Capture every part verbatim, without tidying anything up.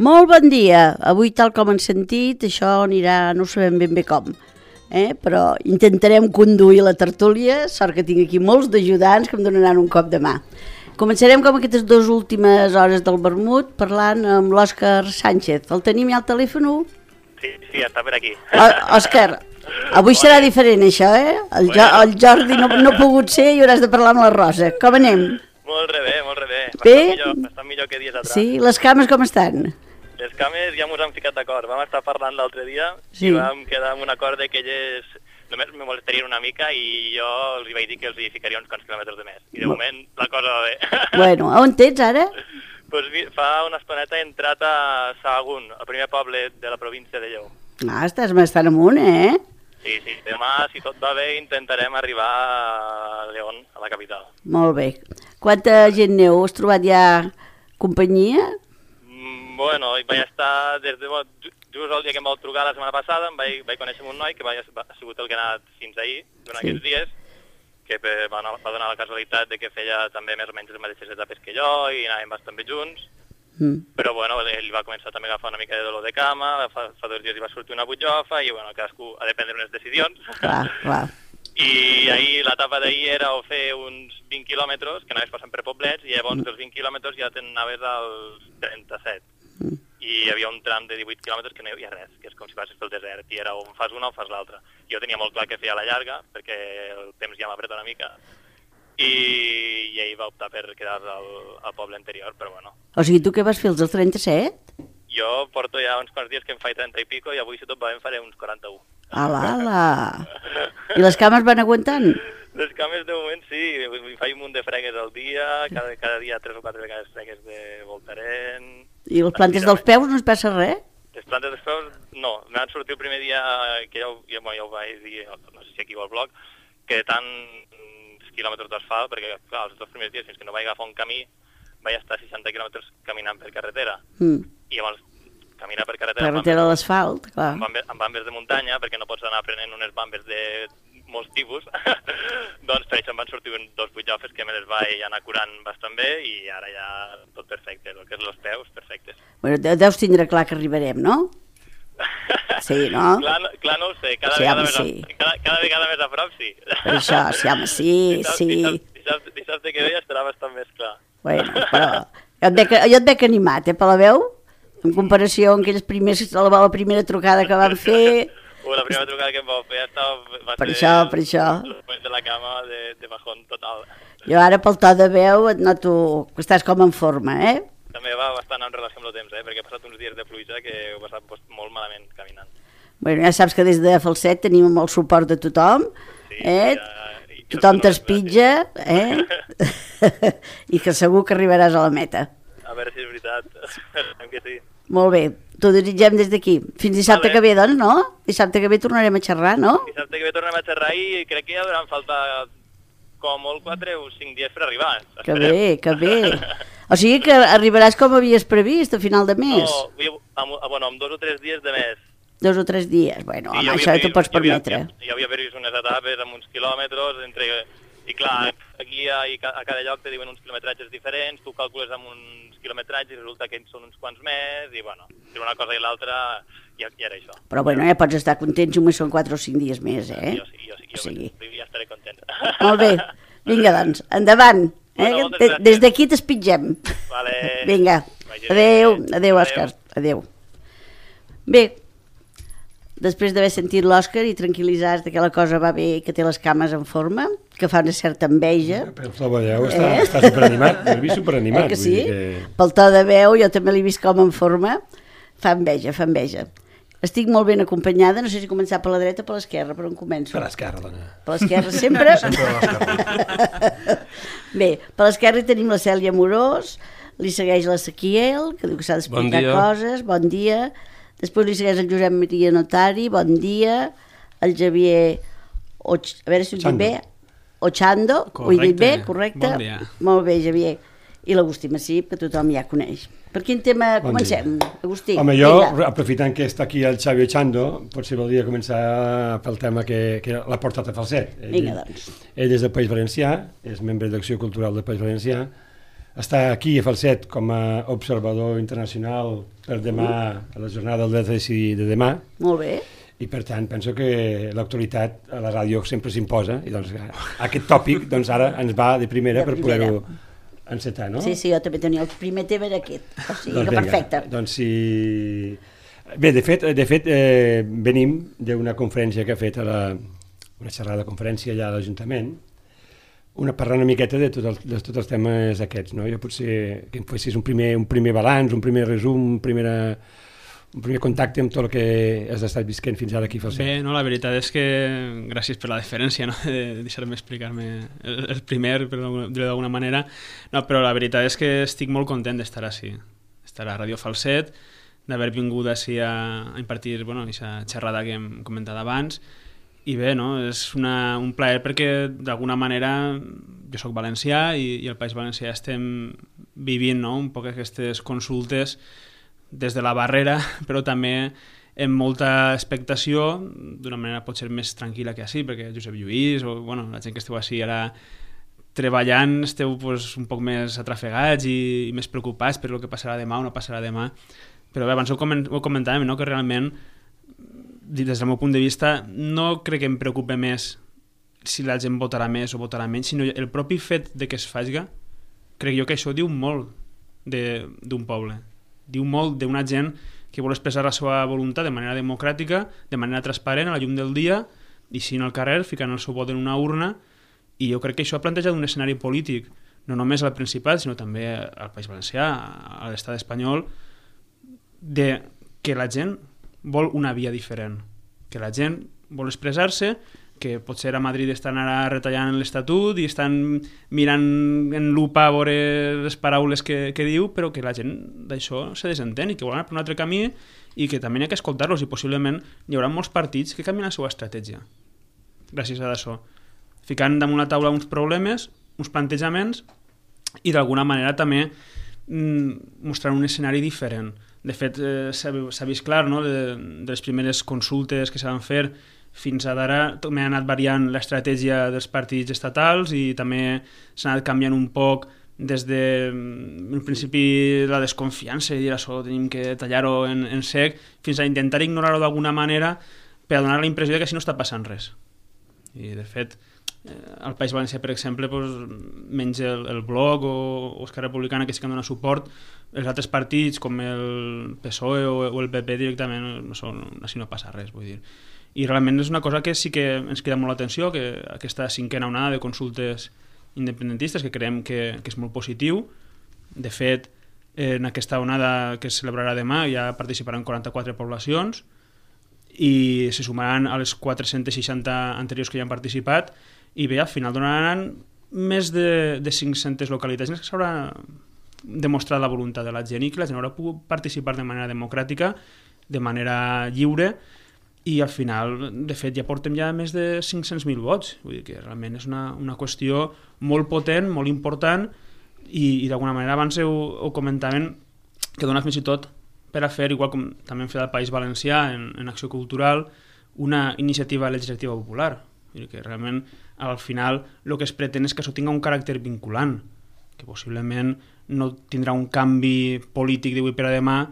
Molt bon dia. Avui, tal com hem sentit, això anirà, no sabem ben bé com, eh? Però intentarem conduir la tertúlia, sort que tinc aquí molts d'ajudants que em donaran un cop de mà. Començarem com aquestes dues últimes hores del vermut parlant amb l'Òscar Sánchez. El tenim ja al telèfon? Sí, sí, està per aquí. O, Òscar, avui serà diferent això, eh? El, jo, el Jordi no, no ha pogut ser i hauràs de parlar amb la Rosa. Com anem? Molt bé, molt bé. Bé? Bastant millor, bastant millor que dies atrás. Sí? Les cames com estan? Les cames ja mos hem ficat d'acord. Vam estar parlant l'altre dia Sí. i vam quedar amb un acord de que elles només me molestarien una mica i jo els hi vaig dir que els hi ficaria uns quants quilòmetres de més. I de moment la cosa va bé. Bueno, on ets ara? Pues fa una estoneta he entrat a Sahagún, el primer poble de la província de Lleó. Ah, estàs bastant amunt, eh? Sí, sí. Demà, si tot va bé, intentarem arribar a León, a la capital. Molt bé. Quanta gent neu? Has trobat ja companyia? Mm, Bueno, vaig estar des de... Just el dia que em vau trucar la setmana passada em vaig, vaig conèixer amb un noi que va, ha sigut el que ha anat fins ahir, durant Sí. aquests dies, que va, va donar la casualitat de que feia també més o menys les mateixes etapes que jo i anàvem bastant bé junts, Mm. però bueno, ell va començar també a agafar una mica de dolor de cama, fa, fa dos dies li va sortir una butxofa i bueno, cadascú ha de prendre unes decisions. Clar, clar. I ahir, l'etapa d'ahir era o fer uns vint quilòmetres, que anaves passant per poblets, i llavors dels vint quilòmetres ja t'anaves als trenta-set. Mm. I hi havia un tram de divuit quilòmetres que no hi havia res, que és com si passes pel desert, i era o en fas una o fas l'altra. Jo tenia molt clar que feia la llarga, perquè el temps ja m'apreta una mica, i, i ell va optar per quedar al, al poble anterior, però bueno. O sigui, tu què vas fer, els del trenta-set? Jo porto ja uns quants dies que em faig trenta i pico, i avui si tot va bé em faré uns quaranta-u. Ala, ala. I les cames van aguantant? Les cames de moment sí, em faig un munt de fregues al dia, cada, cada dia tres o quatre vegades fregues de voltaren. I les plantes dels peus no es passa res? Les plantes dels peus, no. M'han sortit el primer dia, que jo, jo, jo ho vaig dir, no sé si aquí o al blog, que tants quilòmetres d'asfalt, perquè clar, els dos primers dies, fins que no vaig agafar un camí, vaig estar seixanta quilòmetres caminant per carretera. Mm. I llavors, caminar per carretera... Carretera a l'asfalt, clar. Amb bambes, amb bambes de muntanya, perquè no pots anar aprenent unes bambes de molts tipus, doncs per això em van sortir dos butxofes que me les vaig anar curant bastant bé i ara ja tot perfecte, el que és els peus, perfectes. Bueno, de- deus tindre clar que arribarem, no? Sí, no? Clar, no- clar no ho sé, cada, Sí, vegada, home, més a, sí. cada, cada vegada més a prop sí. Per això, sí, home, sí, Dissabte, sí. Dissabte, dissabte, dissabte que ve ja estarà bastant més clar. Bueno, però jo et veig, jo et veig animat, eh, per la veu? En comparació amb aquelles primers, la, la primera trucada que vam fer... Uh, la primera trucada que em vau fer ja estava... Va Per ser això, per això. Els moments de la cama de, de bajón total. Jo ara pel to de veu et noto que estàs com en forma, eh? També va bastant en relació amb el temps, eh? Perquè he passat uns dies de pluja que ho he passat pues, molt malament caminant. Bueno, ja saps que des de Falset tenim el suport de tothom, Sí, eh? ja, i que Tothom no és t'espitja, eh? I que segur que arribaràs a la meta. A veure si és veritat. Esperem que sí. Molt bé, t'ho desitgem des d'aquí. Fins dissabte Vale. que ve, doncs, no? Dissabte que ve tornarem a xerrar, no? Dissabte que ve tornem a xerrar i crec que ja hauran faltat com molt quatre o cinc dies per arribar. Que bé, que bé. O sigui que arribaràs com havies previst a final de mes. No, vull, amb, bueno, amb dos o tres dies de més. Dos o tres dies. Bueno, Sí, home, jo això havia t'ho vist- pots jo havia- permetre. Jo, jo havia vist unes etapes amb uns quilòmetres, entre, i clar, aquí a, i ca- a cada lloc te diuen uns quilometratges diferents, tu calcules amb uns quilometratges i resulta que són uns quants més, i bueno, entre una cosa i l'altra ja, ja era això. Però bueno, ja pots estar content, només són quatre o cinc dies més, eh? Jo sí, jo sí, O jo, sigui. sí, ja estaré content. Molt bé. Vinga, doncs, endavant. Eh? Bueno, moltes Des- gràcies. Des d'aquí t'espitgem. Vale. Vinga. Vagi Adéu, bé. adéu, Òscar. Adéu. Bé, després d'haver sentit l'Òscar i tranquil·litzats que la cosa va bé i que té les cames en forma, que fa una certa enveja, Pel to de veu està, Eh? està superanimat, l'he vist superanimat. eh que vull sí? dir que... Pel to de veu, jo també l'he vist com en forma, fa enveja, fa enveja. Estic molt ben acompanyada, no sé si començar per la dreta o per l'esquerra, per on començo? Per l'esquerra, dona. Per l'esquerra sempre? Sempre a l'esquerra. Bé, per l'esquerra hi tenim la Cèlia Morós, li segueix la Saquiel, que diu que s'ha d'explicar Bon dia. coses, bon dia. Després li segueix el Josep Maria Notari, bon dia. El Javier, Och... a veure si ho dic Chando. bé, Ochando, ho he dit bé, correcte? Bon dia. Molt bé, Javier. I l'Agustí Massip, que tothom ja coneix. Per quin tema Bon comencem, Agustí? Home, jo, Vinga. aprofitant que està aquí el Xavi Ochando, potser voldria començar pel tema que, que l'ha portat a Falset. Ell, Vinga, doncs. Ell és del País Valencià, és membre d'Acció Cultural del País Valencià, estar aquí a Falset com a observador internacional per demà, a la jornada del dret a decidir de demà. Molt bé. I per tant penso que l'actualitat a la ràdio sempre s'imposa i doncs aquest tòpic doncs ara ens va de primera, de primera. per poder-ho encetar, no? Sí, sí, jo també tenia el primer tema era aquest, o sigui doncs que vinga, perfecte. Doncs si... Bé, de fet, de fet eh, venim d'una conferència que ha fet a la, una xerrada de conferència allà a l'Ajuntament, una parlant una miqueta de, tot el, de tots els temes aquests, no? Jo potser que em fessis un primer, un primer balanç, un primer resum, un primer, un primer contacte amb tot el que has estat visquent fins ara aquí a Falset. Bé, no, la veritat és que gràcies per la deferència, no? De deixar-me explicar-me el, el primer, per dir-ho d'alguna manera, no, però la veritat és que estic molt content d'estar així, estar a Ràdio Falset, d'haver vingut així a, a impartir, bueno, aquesta xerrada que hem comentat abans, i bé, no? És una, un plaer perquè d'alguna manera jo soc valencià i, i al País Valencià estem vivint, no? Un poc aquestes consultes des de la barrera, però també amb molta expectació, d'una manera potser més tranquil·la que així, perquè Josep Lluís o bueno, la gent que esteu així ara treballant esteu pues, un poc més atrafegats i, i més preocupats per el que passarà demà o no passarà demà. Però bé, abans ho, coment, ho comentàvem, no? Que realment, des del meu punt de vista, no crec que em preocupi més si la gent votarà més o votarà menys, sinó el propi fet de que es faci, crec jo que això diu molt d'un poble. Diu molt d'una gent que vol expressar la seva voluntat de manera democràtica, de manera transparent, a la llum del dia, i si no al carrer, ficant el seu vot en una urna, i jo crec que això ha plantejat un escenari polític, no només al Principat, sinó també al País Valencià, a l'estat espanyol, de que la gent vol una via diferent, que la gent vol expressar-se, que potser a Madrid estan ara retallant l'Estatut i estan mirant en lupa a veure les paraules que, que diu, però que la gent d'això se desentén i que volen anar per un altre camí i que també hi ha que escoltar-los i possiblement hi haurà molts partits que canvien la seva estratègia gràcies a això, ficant damunt la taula uns problemes, uns plantejaments i d'alguna manera també mm, mostrant un escenari diferent. De fet, eh, s'ha vist clar, no? de, de les primeres consultes que s'han fer fins a d'ara també ha anat variant l'estratègia dels partits estatals i també s'ha anat canviant un poc des de, en principi, la desconfiança i dir això tenim que tallar-ho en, en sec fins a intentar ignorar-ho d'alguna manera per a donar la impressió de que així no està passant res. I, de fet, al País Valencià, per exemple, doncs, menys el, el Bloc o, o Esquerra Republicana, que sí que han donat suport, els altres partits, com el P S O E o, o el P P directament, no són, així no passa res, vull dir. I realment és una cosa que sí que ens crida molt l'atenció, que aquesta cinquena onada de consultes independentistes, que creiem que, que és molt positiu. De fet, en aquesta onada que es celebrarà demà ja participaran quaranta-quatre poblacions i se sumaran a les quatre-centes seixanta anteriors que ja han participat i bé, al final donaran més de, de cinc-centes localitats en les que s'haurà demostrat la voluntat de la gent i que la gent haurà pogut participar de manera democràtica, de manera lliure i al final, de fet, ja portem ja més de cinc-cents mil vots. Vull dir que realment és una, una qüestió molt potent, molt important i, i d'alguna manera abans ho, ho comentaven que dona fins i tot per a fer, igual com també hem fet al País Valencià en, en Acció Cultural, una iniciativa legislativa popular. Vull dir que realment al final el que es pretén és que això tinga un caràcter vinculant, que possiblement no tindrà un canvi polític d'avui per a demà,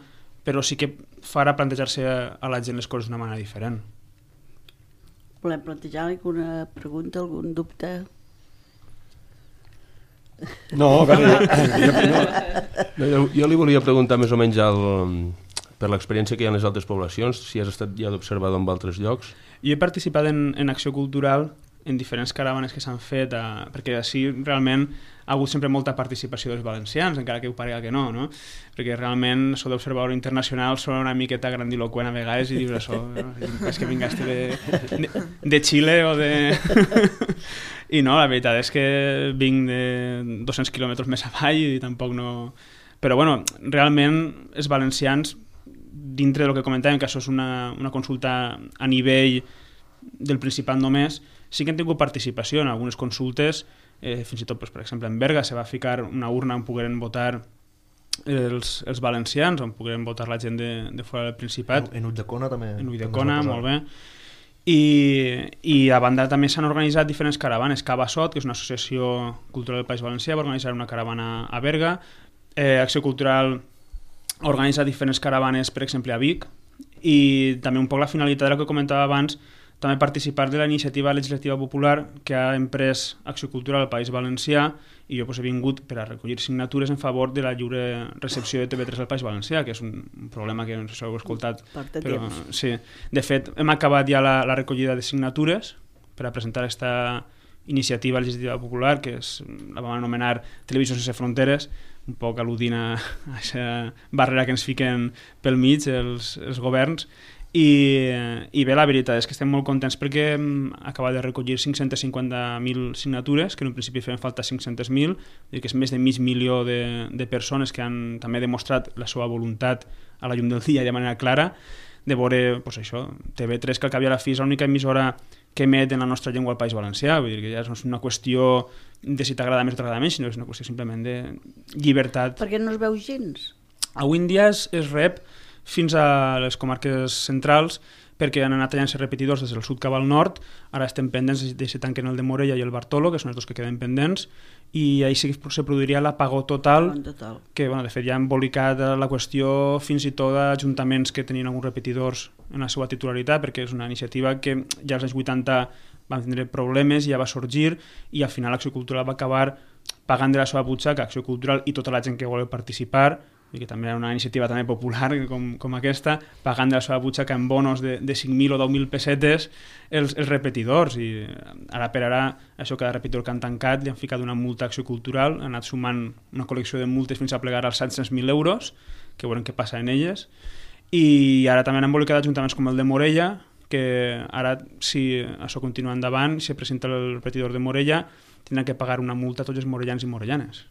però sí que farà plantejar-se a la gent les coses d'una manera diferent. Volem plantejar alguna pregunta, algun dubte? No, a veure, jo, no, no, jo li volia preguntar més o menys el, per l'experiència que hi ha en les altres poblacions, si has estat ja d'observador en altres llocs. Jo he participat en, en Acció Cultural en diferents caravanes que s'han fet, a, perquè així realment ha hagut sempre molta participació dels valencians, encara que ho parega que no, no? Perquè realment això d'observador internacional sona una miqueta grandiloquent a vegades i dius això, no? És que vingaste de, de, de Xile o de... I no, la veritat és que vinc de dos-cents quilòmetres més avall i tampoc no... Però bueno, realment els valencians, dintre del que comentàvem, que això és una, una consulta a nivell del Principat només, sí que han tingut participació en algunes consultes, eh, fins i tot, doncs, per exemple, en Berga se va ficar una urna on pogueren votar els, els valencians, on pogueren votar la gent de, de fora del Principat. En, en Ulldecona també. En Ulldecona, molt bé. I, i a banda també s'han organitzat diferents caravanes. Cava Sot, que és una associació cultural del País Valencià, va organitzar una caravana a Berga. eh, Acció Cultural organitza diferents caravanes, per exemple, a Vic, i també un poc la finalitat del que comentava abans, també participar de la iniciativa legislativa popular que ha emprès Acció Cultural al País Valencià, i jo pues, he vingut per a recollir signatures en favor de la lliure recepció de T V tres al País Valencià, que és un, un problema que no sé si heu escoltat. Porta però, temps. sí. De fet, hem acabat ja la, la recollida de signatures per a presentar aquesta iniciativa legislativa popular, que és, la vam anomenar Televisió sense fronteres, un poc al·ludint a aquesta barrera que ens fiquen pel mig els, els governs. I, i bé, la veritat és que estem molt contents perquè hem acabat de recollir cinc-centes cinquanta mil signatures, que en un principi feien falta cinc-centes mil, que és més de mig milió de, de persones que han també demostrat la seva voluntat a la llum del dia i de manera clara de veure pues, això, T V tres, que al cap i a la fi és l'única emissora que emet en la nostra llengua al País Valencià. Vull dir que ja no és una qüestió de si t'agrada més o t'agrada menys, sinó és una qüestió simplement de llibertat. Perquè no es veu gens. Avui en dia es, es rep fins a les comarques centrals, perquè han anat tallant-se repetidors des del sud cap al nord. Ara estem pendents de si tanquen el de Morella i el Bartolo, que són els dos que queden pendents, i ahir sí que se produiria l'apagó total, total. que bueno, de fet ja ha embolicat la qüestió fins i tot d'ajuntaments que tenien alguns repetidors en la seva titularitat, perquè és una iniciativa que ja als anys vuitanta van tindre problemes i ja va sorgir, i al final l'Acció Cultural va acabar pagant de la seva butxaca, Acció Cultural i tota la gent que vol participar, i que també era una iniciativa també popular com, com aquesta, pagant de la seva butxaca en bonos de, de cinc mil o deu mil pessetes els, els repetidors, i ara per ara això, cada repetidor que han tancat li han ficat una multa a Acció Cultural, han anat sumant una col·lecció de multes fins a plegar als set-cents mil euros, que veurem què passa en elles, i ara també han embolicat ajuntaments com el de Morella, que ara, si això continua endavant, si presenta el repetidor de Morella, tindran que pagar una multa a tots els morellans i morellanes.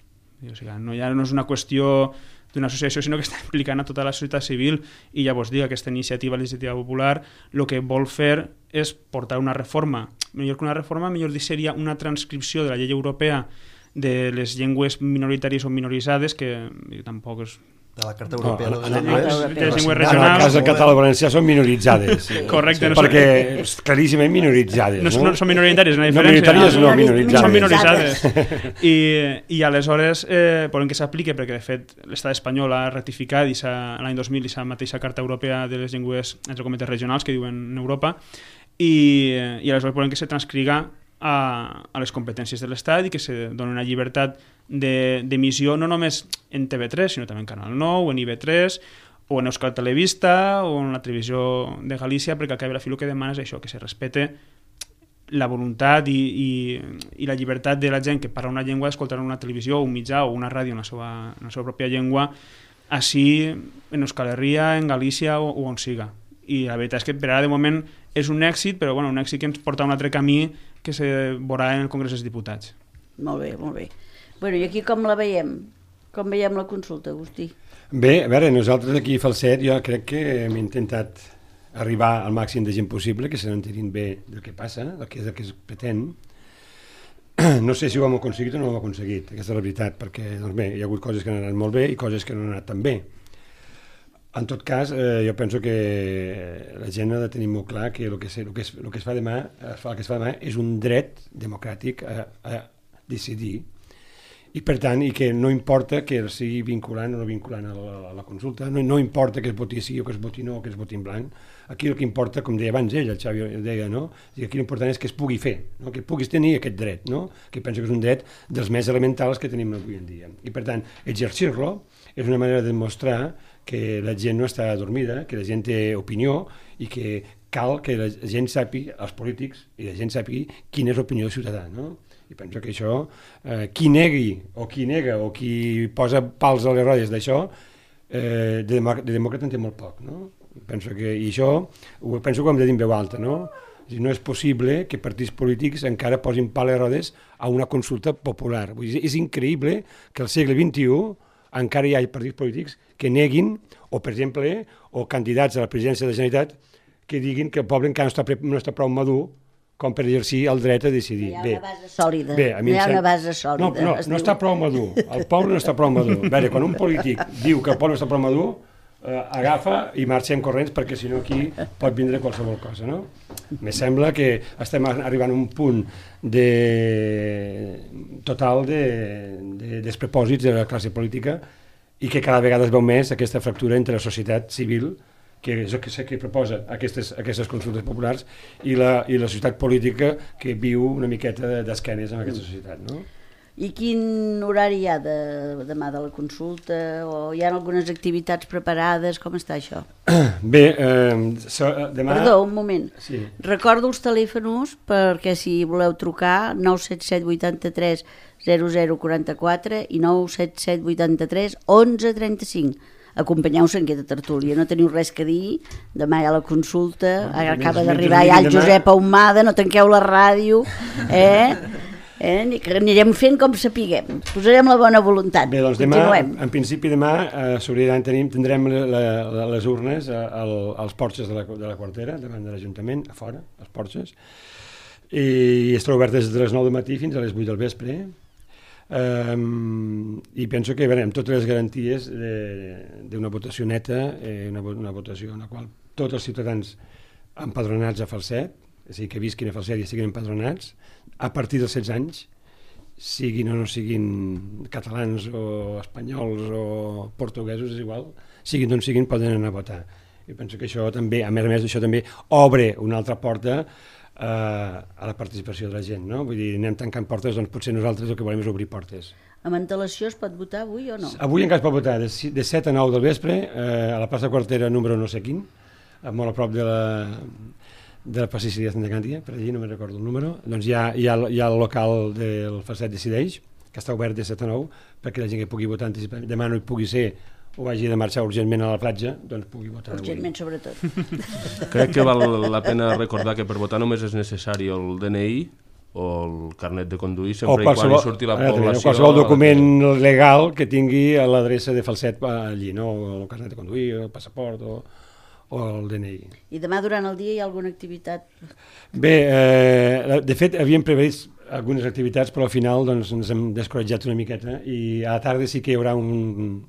O sigui, no, ja no és una qüestió d'una associació, sinó que està implicant a tota la societat civil, i ja vos dic, aquesta iniciativa legislativa popular el que vol fer és portar una reforma, millor que una reforma, millor dir seria una transcripció de la llei europea de les llengües minoritàries o minoritzades, que tampoc és... De la Carta Europea no, de no, les no, Llengües. de les llengües En el regionals. cas del català i valencià són minoritzades. Correcte. No perquè són, és claríssimament minoritzades. no, No, no són minoritàries, una no diferència. minoritàries, no, no, minoritzades. Són minoritzades. I, i aleshores eh, volem que s'apliqui, perquè de fet l'estat espanyol ha ratificat l'any dos mil i la mateixa Carta Europea de les llengües, entre cometes, regionals, que diuen en Europa, i, i aleshores volem que se transcriga a, a les competències de l'Estat i que se doni una llibertat d'emissió no només en T V tres, sinó també en Canal nou, en I V tres, o en Euskal Televista, o en la televisió de Galícia, perquè al cap i a la fi el que demana és això, que se respecte la voluntat i, i, i la llibertat de la gent que parla una llengua d'escoltar una televisió, un mitjà o una ràdio en la seva, en la seva pròpia llengua, així en Euskal Herria, en Galícia o, o on siga. I la veritat és que per ara de moment és un èxit, però bueno, un èxit que ens porta a un altre camí que se veurà en el Congrés dels Diputats. Molt bé, molt bé. Bueno, i aquí com la veiem? Com veiem la consulta, Agustí? Bé, a veure, nosaltres aquí a Falset jo crec que hem intentat arribar al màxim de gent possible, que se n'entenin bé del que passa, del que és el que es pretén. No sé si ho hem aconseguit o no ho hem aconseguit, aquesta és la veritat, perquè doncs bé, hi ha hagut coses que han anat molt bé i coses que no han anat tan bé. En tot cas, eh, jo penso que la gent ha de tenir molt clar que el que, es, el que, es, el que es fa demà, el que es fa demà és un dret democràtic a, a decidir, i per tant, i que no importa que sigui vinculant o no vinculant a la, a la consulta, no, no importa que es voti sí o que es voti no o que es voti en blanc, aquí el que importa, com deia abans ell, el Xavi deia, no? I aquí l'important és que es pugui fer, no? Que puguis tenir aquest dret, no? Que penso que és un dret dels més elementals que tenim avui en dia. I per tant, exercir-lo és una manera de demostrar que la gent no està dormida, que la gent té opinió i que cal que la gent sàpiga, els polítics, i la gent sàpiga quina és l'opinió del ciutadà, no? I penso que això, eh, qui negui o qui nega o qui posa pals a les rodes d'això, eh, de, de demòcrata en té molt poc, no? Penso que, i això ho, penso que ho hem de dir en veu alta, no? No és possible que partits polítics encara posin pals a les rodes a una consulta popular. Vull dir, és increïble que al segle vint-i-u encara hi ha partits polítics que neguin, o per exemple, o candidats a la presidència de la Generalitat que diguin que el poble encara no està, no està prou madur com per exercir el dret a decidir. No hi ha una base sòlida. Bé, a mi no hi ha sem... una base sòlida. No, no, no està prou madur. El poble no està prou madur. A veure, quan un polític diu que el poble no està prou madur, eh, agafa i marxem corrents perquè si no aquí pot vindre qualsevol cosa, no? Me sembla que estem arribant a un punt de total de, de despropòsits de la classe política i que cada vegada es veu més aquesta fractura entre la societat civil, que és el que, que proposa aquestes, aquestes consultes populars, i la, i la societat política que viu una miqueta d'esquenes en aquesta societat, no? I quin horari hi ha de, demà de la consulta? O hi ha algunes activitats preparades? Com està això? Bé, eh, so, demà... Perdó, un moment. Sí. Recordo els telèfons perquè si voleu trucar nou set set vuitanta-tres zero zero quaranta-quatre i nou set set vuitanta-tres onze trenta-cinc. Acompanyeu-se en aquesta tertúlia, no teniu res que dir, demà hi ha la consulta, no, acaba d'arribar ja el Josep Ahumada, no tanqueu la ràdio, eh? Eh? Anirem fent com sapiguem, posarem la bona voluntat. Bé, doncs demà, en principi demà eh, tenir, tindrem la, la, les urnes a, a, als porxes de la, de la quartera, davant de l'Ajuntament, a fora, als porxes, i estarà obert des de les nou del matí fins a les vuit del vespre, eh, i penso que veurem totes les garanties d'una votació neta, eh, una, una votació en la qual tots els ciutadans empadronats a Falset, és a dir, que visquin a Falset i estiguin empadronats, a partir dels setze anys, siguin o no siguin catalans o espanyols o portuguesos, és igual, siguin d'on siguin, poden anar a votar. I penso que això també, a més a més, això també obre una altra porta eh, a la participació de la gent, no? Vull dir, anem tancant portes, doncs potser nosaltres el que volem és obrir portes. Amb antelació es pot votar avui o no? Avui encara es pot votar, de, de set a nou del vespre, eh, a la plaça Quartera número no sé quin, molt a prop de la... de la plaça Sicília de Gàndia, per allí no me'n recordo el número, doncs hi ha, hi ha, hi ha el local del Falset Decideix, que està obert de set a nou, perquè la gent que pugui votar anticipadament, demà no hi pugui ser o hagi de marxar urgentment a la platja, doncs pugui votar urgentment avui. Sobretot. Crec que val la pena recordar que per votar només és necessari el D N I o el carnet de conduir, sempre i quan hi surti la població... O qualsevol document legal que tingui a l'adreça de Falset allí, no? El carnet de conduir, el passaport o... o el D N I. I demà durant el dia hi ha alguna activitat? Bé, eh, de fet havíem previst algunes activitats, però al final doncs, ens hem descoratjat una miqueta i a la tarda sí que hi haurà un...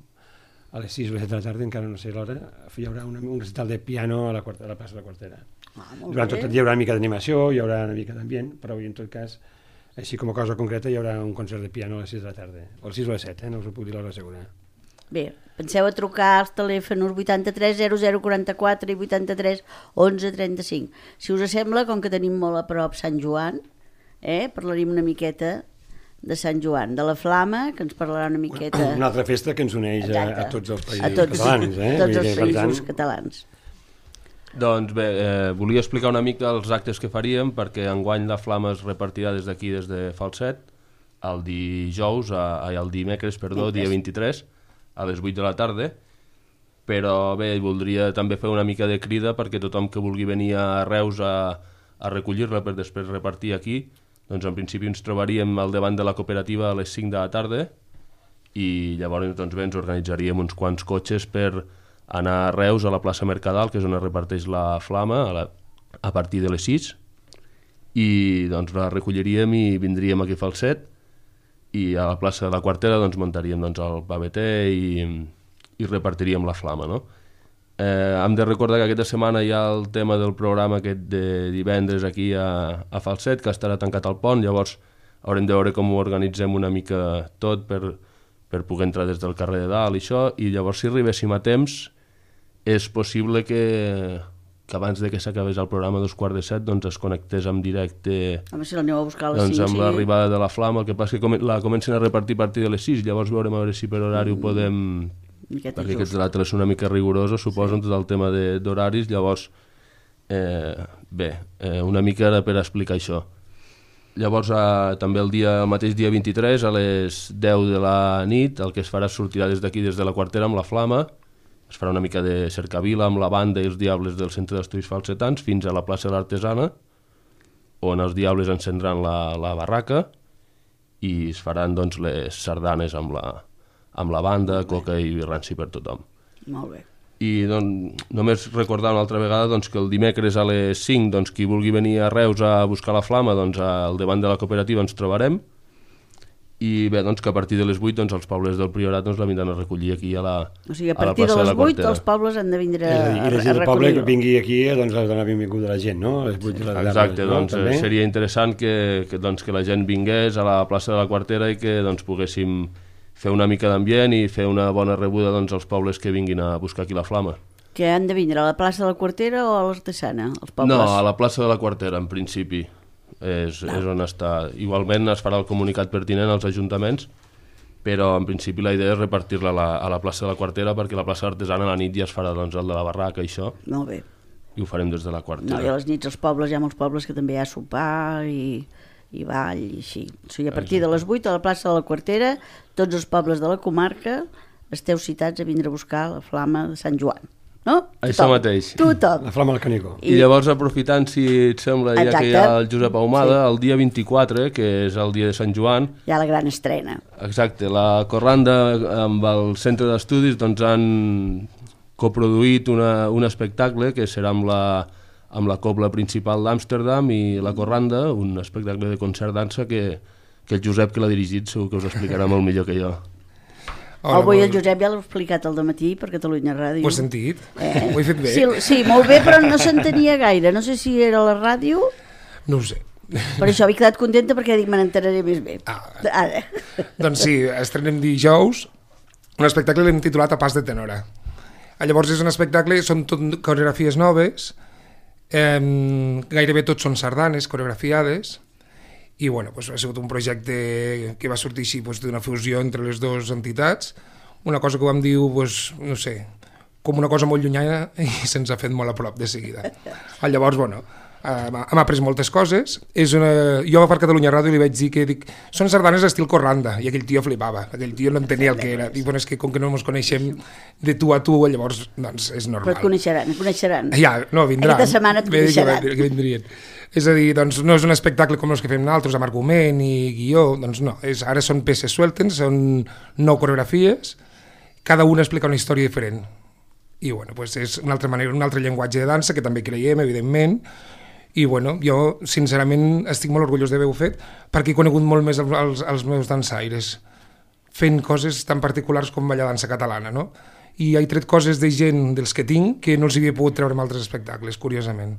a les sis o les set de la tarda, encara no sé l'hora, hi haurà una, un recital de piano a la, quarta, a la plaça de la Quartera. Ah, Durant tot el dia hi haurà una mica d'animació, hi haurà una mica d'ambient, però en tot cas, així com a cosa concreta, hi haurà un concert de piano a les sis de la tarda, o a les sis o a les set, eh? No us ho puc dir l'hora segura. Bé, penseu a trucar als telèfons vuitanta-tres zero zero quaranta-quatre i vuitanta-tres onze trenta-cinc. Si us sembla, com que tenim molt a prop Sant Joan, eh, parlaríem una miqueta de Sant Joan, de la Flama, que ens parlarà una miqueta... Una altra festa que ens uneix a, a tots els països a tots, catalans. Eh? tots els països tant... catalans. Doncs bé, eh, volia explicar una mica els actes que faríem, perquè enguany la Flama es repartirà des d'aquí, des de Falset, el dijous, a, a, el dimecres, perdó, dia vint-i-tres, a les vuit de la tarda, però bé, voldria també fer una mica de crida perquè tothom que vulgui venir a Reus a, a recollir-la per després repartir aquí, doncs en principi ens trobaríem al davant de la cooperativa a les cinc de la tarda i llavors doncs bé, ens organitzaríem uns quants cotxes per anar a Reus a la plaça Mercadal, que és on es reparteix la Flama, a, la, a partir de les sis, i doncs la recolliríem i vindríem aquí a Falset, i a la plaça de la Quartera doncs, muntaríem doncs, el paveter i, i repartiríem la Flama, no? Eh, hem de recordar que aquesta setmana hi ha el tema del programa aquest de divendres aquí a, a Falset, que estarà tancat al pont, llavors haurem de veure com ho organitzem una mica tot per, per poder entrar des del carrer de dalt i això, i llavors si arribéssim a temps és possible que... que abans de que s'acabés el programa a dos quarts de set doncs es connectés en directe. Home, si l'aneu a buscar a les doncs, cinc, amb sí. l'arribada de la Flama, el que passa és que la comencen a repartir a partir de les sis, llavors veurem a veure si per horari mm. ho podem... Miqueta perquè just. aquests altres són una mica rigorosos, suposo, sí. Tot el tema d'horaris, llavors, eh, bé, eh, una mica era per explicar això. Llavors, eh, també el, dia, el mateix dia vint-i-tres, a les deu de la nit, el que es farà sortirà des d'aquí, des de la Quartera, amb la Flama, es farà una mica de cercavila amb la banda i els diables del Centre d'Estudis Falsetans fins a la plaça de l'Artesana, on els diables encendran la, la barraca i es faran doncs, les sardanes amb la, amb la banda, coca i ranci per tothom. Molt bé. I doncs, només recordar una altra vegada doncs, que el dimecres a les cinc doncs, qui vulgui venir a Reus a buscar la Flama, doncs, al davant de la cooperativa ens trobarem, i bé, doncs que a partir de les vuit doncs, els pobles del Priorat doncs, la vindran a recollir aquí a la, o sigui, a a la partir de plaça de les la vuit Quartera. els pobles han de vindre I la, a, i la a gent del poble que recollir-ho. vingui aquí doncs ha de donar benvinguda a la gent, no? A les vuit de la tarda, Exacte, no? doncs També? seria interessant que, que, doncs, que la gent vingués a la plaça de la Quartera i que doncs, poguéssim fer una mica d'ambient i fer una bona rebuda doncs, als pobles que vinguin a buscar aquí la flama. Que han de vindre a la plaça de la Quartera o a l'Artesana, els pobles? No, a la plaça de la Quartera, en principi. És, és on està. Igualment es farà el comunicat pertinent als ajuntaments, però en principi la idea és repartir-la a, la, a la plaça de la Quartera, perquè la plaça artesana a la nit ja es farà doncs, el de la barraca i això, Molt bé. i ho farem des de la Quartera. No, i a les nits als pobles hi ha molts pobles que també hi ha sopar i, i ball i així. O sigui, a partir de les vuit a la plaça de la Quartera, tots els pobles de la comarca esteu citats a vindre a buscar la flama de Sant Joan. No? Això mateix. Tothom. La flama del Canigó. I, I llavors, aprofitant, si et sembla, ja Exacte. que hi ha el Josep Ahumada, Sí. el dia vint-i-quatre, que és el dia de Sant Joan, Hi ha la gran estrena. exacte, la Corranda amb el centre d'estudis doncs, han coproduït una, un espectacle que serà amb la, amb la cobla principal d'Amsterdam i la Corranda, un espectacle de concert-dansa que, que el Josep, que l'ha dirigit, segur que us explicarà molt millor que jo. Hola, Avui el Josep ja l'ha explicat al dematí per Catalunya Ràdio. Ho has sentit? Eh? Ho he fet bé? Sí, sí, molt bé, però no s'entenia gaire. No sé si era a la ràdio, No ho sé. per això havia quedat contenta perquè dic, me n'enteraré més bé. Ah. Ara. Doncs sí, estrenem dijous un espectacle que l'hem titulat A pas de tenora. Llavors és un espectacle, són tot coreografies noves, eh, gairebé tots són sardanes coreografiades, i bueno, doncs ha sigut un projecte que va sortir així doncs, d'una fusió entre les dues entitats, una cosa que vam dir, doncs, no sé, com una cosa molt llunyana i se'ns ha fet molt a prop de seguida. Llavors, bueno, hem après moltes coses. És una... Jo per Catalunya Ràdio li vaig dir que dic, són sardanes estil Corranda, i aquell tio flipava, aquell tio no entenia el que era. Dic, bueno, és que com que no ens coneixem de tu a tu, llavors doncs, és normal. Però et coneixeran, et coneixeran. Ja, no, vindran. Aquesta setmana et coneixeran. Que, que vindrien. És a dir, doncs no és un espectacle com els que fem nosaltres, amb argument i guió, doncs no, és, ara són peces sueltes, són nou coreografies, cada una explica una història diferent. I bueno, doncs és una altra manera, un altre llenguatge de dansa que també creiem, evidentment, i bueno, jo sincerament estic molt orgullós d'haver-ho fet perquè he conegut molt més els, els, els meus dansaires fent coses tan particulars com ballar dansa catalana, no? I he tret coses de gent dels que tinc que no els havia pogut treure en altres espectacles, curiosament.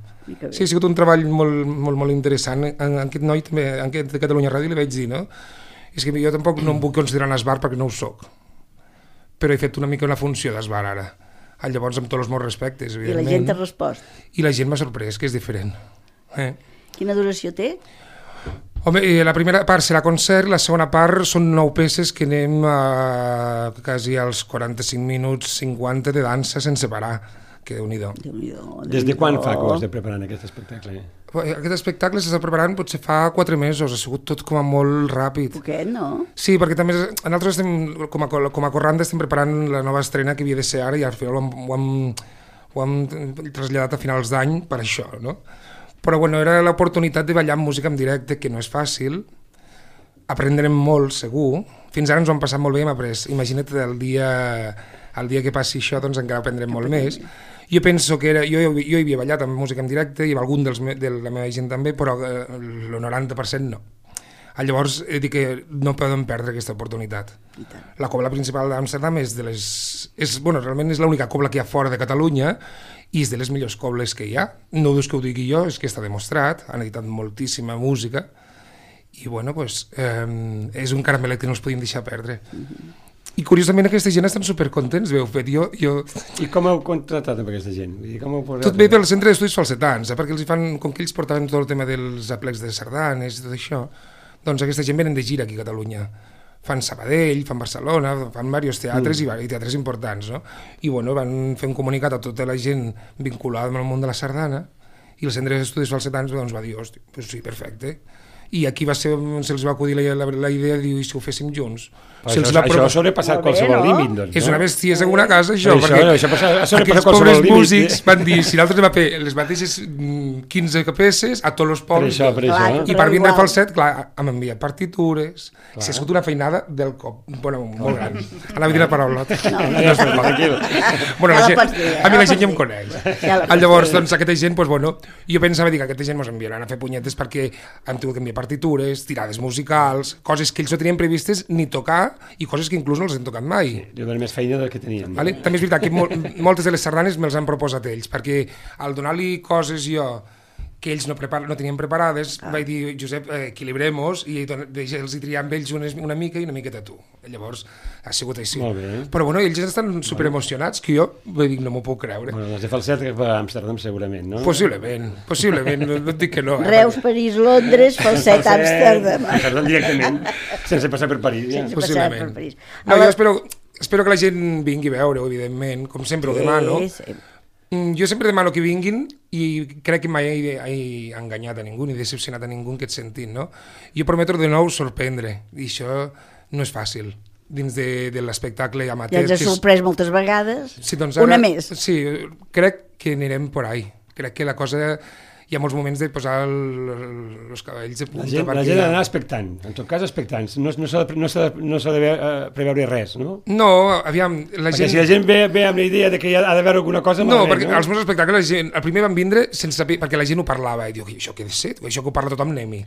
Sí, ha sigut un treball molt, molt, molt interessant. En, en aquest noi també, en aquest de Catalunya Ràdio li vaig dir, no? És que jo tampoc no em puc considerar un esbar perquè no ho soc, però he fet una mica una funció d'esbar ara. Llavors, amb tots els meus respectes, evidentment. I la gent t'ha respost. I la gent m'ha sorprès, que és diferent. Eh. Quina duració té? Home, la primera part serà concert, la segona part són nou peces que anem a, quasi als quaranta-cinc minuts, cinquanta de dansa sense parar, que Déu-n'hi-do. Déu-n'hi-do, Des de quan fa que ho has de preparar aquest espectacle? Aquest espectacle s'està preparant potser fa quatre mesos, ha sigut tot com a molt ràpid. Poquet, no? Sí, perquè també nosaltres estem, com a, com a Corranda estem preparant la nova estrena que havia de ser ara i al final ho hem, ho hem, ho hem traslladat a finals d'any per això, no? Però bueno, era l'oportunitat de ballar amb música en directe, que no és fàcil, aprendrem molt, segur, fins ara ens ho hem passat molt bé, hem après, imagina't el dia, el dia que passi això, doncs encara aprendrem molt més. Jo penso que era, jo, jo hi havia ballat amb música en directe i amb algun dels, de la meva gent també, però eh, el noranta per cent no. Llavors he dit que no podem perdre aquesta oportunitat. La cobla principal d'Amsterdam és de les... És, bueno, realment és l'única cobla que hi ha fora de Catalunya i és de les millors cobles que hi ha. No és que ho digui jo, és que està demostrat, han editat moltíssima música i bueno, pues, eh, és un caramelet que no els podíem deixar perdre. I curiosament aquesta gent estan supercontents, veu fet. Jo, jo... I com heu contratat amb aquesta gent? I com heu posat... Tot ve pel centre d'estudis falsetans, eh? Perquè els fan, com que ells portaven tot el tema dels aplecs de sardanes i tot això, doncs aquesta gent venen de gira aquí a Catalunya. Fan Sabadell, fan Barcelona, fan diversos teatres mm. i, i teatres importants, no? I bueno, van fer un comunicat a tota la gent vinculada amb el món de la sardana i el centre d'estudis falsetans doncs, va dir, hosti, pues sí, perfecte. I aquí va ser on se'ls va acudir la, la, la idea de dir, i si ho féssim junts? Si això, això ha sobrepassat qualsevol no? límit, doncs, no? És una bestiesa en una casa, això, això perquè això, això passa, aquests pobres músics van dir, si nosaltres vam fer les mateixes quinze peces a tots els pobles. Per això, per Clar, això. I per vindre a Falset, clar, hem enviat partitures. Clar. Si ha sigut una feinada del cop. Bueno, molt gran. Anava a dir la paraula. No, no és veritat. Bueno, la Ja la gent, pots dir, ja a mi la la gent pots ja em dir. coneix. Ja la pots Llavors, dir. doncs, aquesta gent, doncs, bueno, jo pensava dir que aquesta gent ens enviaran a fer punyetes perquè hem tingut que enviar partitures, tirades musicals, coses que ells no tenien previstes ni tocar i coses que inclús no els hem tocat mai. Jo dono més feina del que teníem. Vale? També és veritat que mol, moltes de les sardanes me'ls han proposat ells, perquè al donar-li coses jo que ells no, prepar, no tenien preparades, ah. vaig dir, Josep, eh, equilibrem-nos i don, els hi triar amb ells una, una mica i una miqueta tu. Llavors, ha sigut així. Molt bé. Però bueno, ells estan superemocionats, que jo vaig dir, no m'ho puc creure. Bueno, les de Falset que va a Amsterdam segurament, no? Possiblement, possiblement, no, no et dic que no. Eh? Reus, París, Londres, Falset, Amsterdam. Amsterdam directament, sense passar per París. Ja. Sense passar per Possiblement. París. No, A la- jo espero, espero que la gent vingui a veure-ho, evidentment, com sempre ho demano. Sí, sí. Mm, Jo sempre demano que vinguin i crec que mai he, he enganyat a ningú ni decepcionat a ningú en aquest sentit, no? Jo prometo de nou sorprendre, i això no és fàcil dins de, de l'espectacle Ja amateur. ens ha que és- sorprès moltes vegades. Sí, doncs Una més. Sí, crec que anirem por ahí. Crec que la cosa... Hi ha molts moments de posar el, els cabells de La punta. gent, la perquè- gent ha d'anar expectant, en tot cas expectant. No, no s'ha de, no s'ha de, no s'ha de uh, preveure res, no? No, aviam, la Perquè gent... si la gent ve, ve amb la idea de que hi ha, ha d'haver alguna cosa... No, malament, perquè als meus espectacles la gent, el primer van vindre sense saber, perquè la gent ho parlava i diu, això què ha de ser? Això que ho parla tothom anem-hi.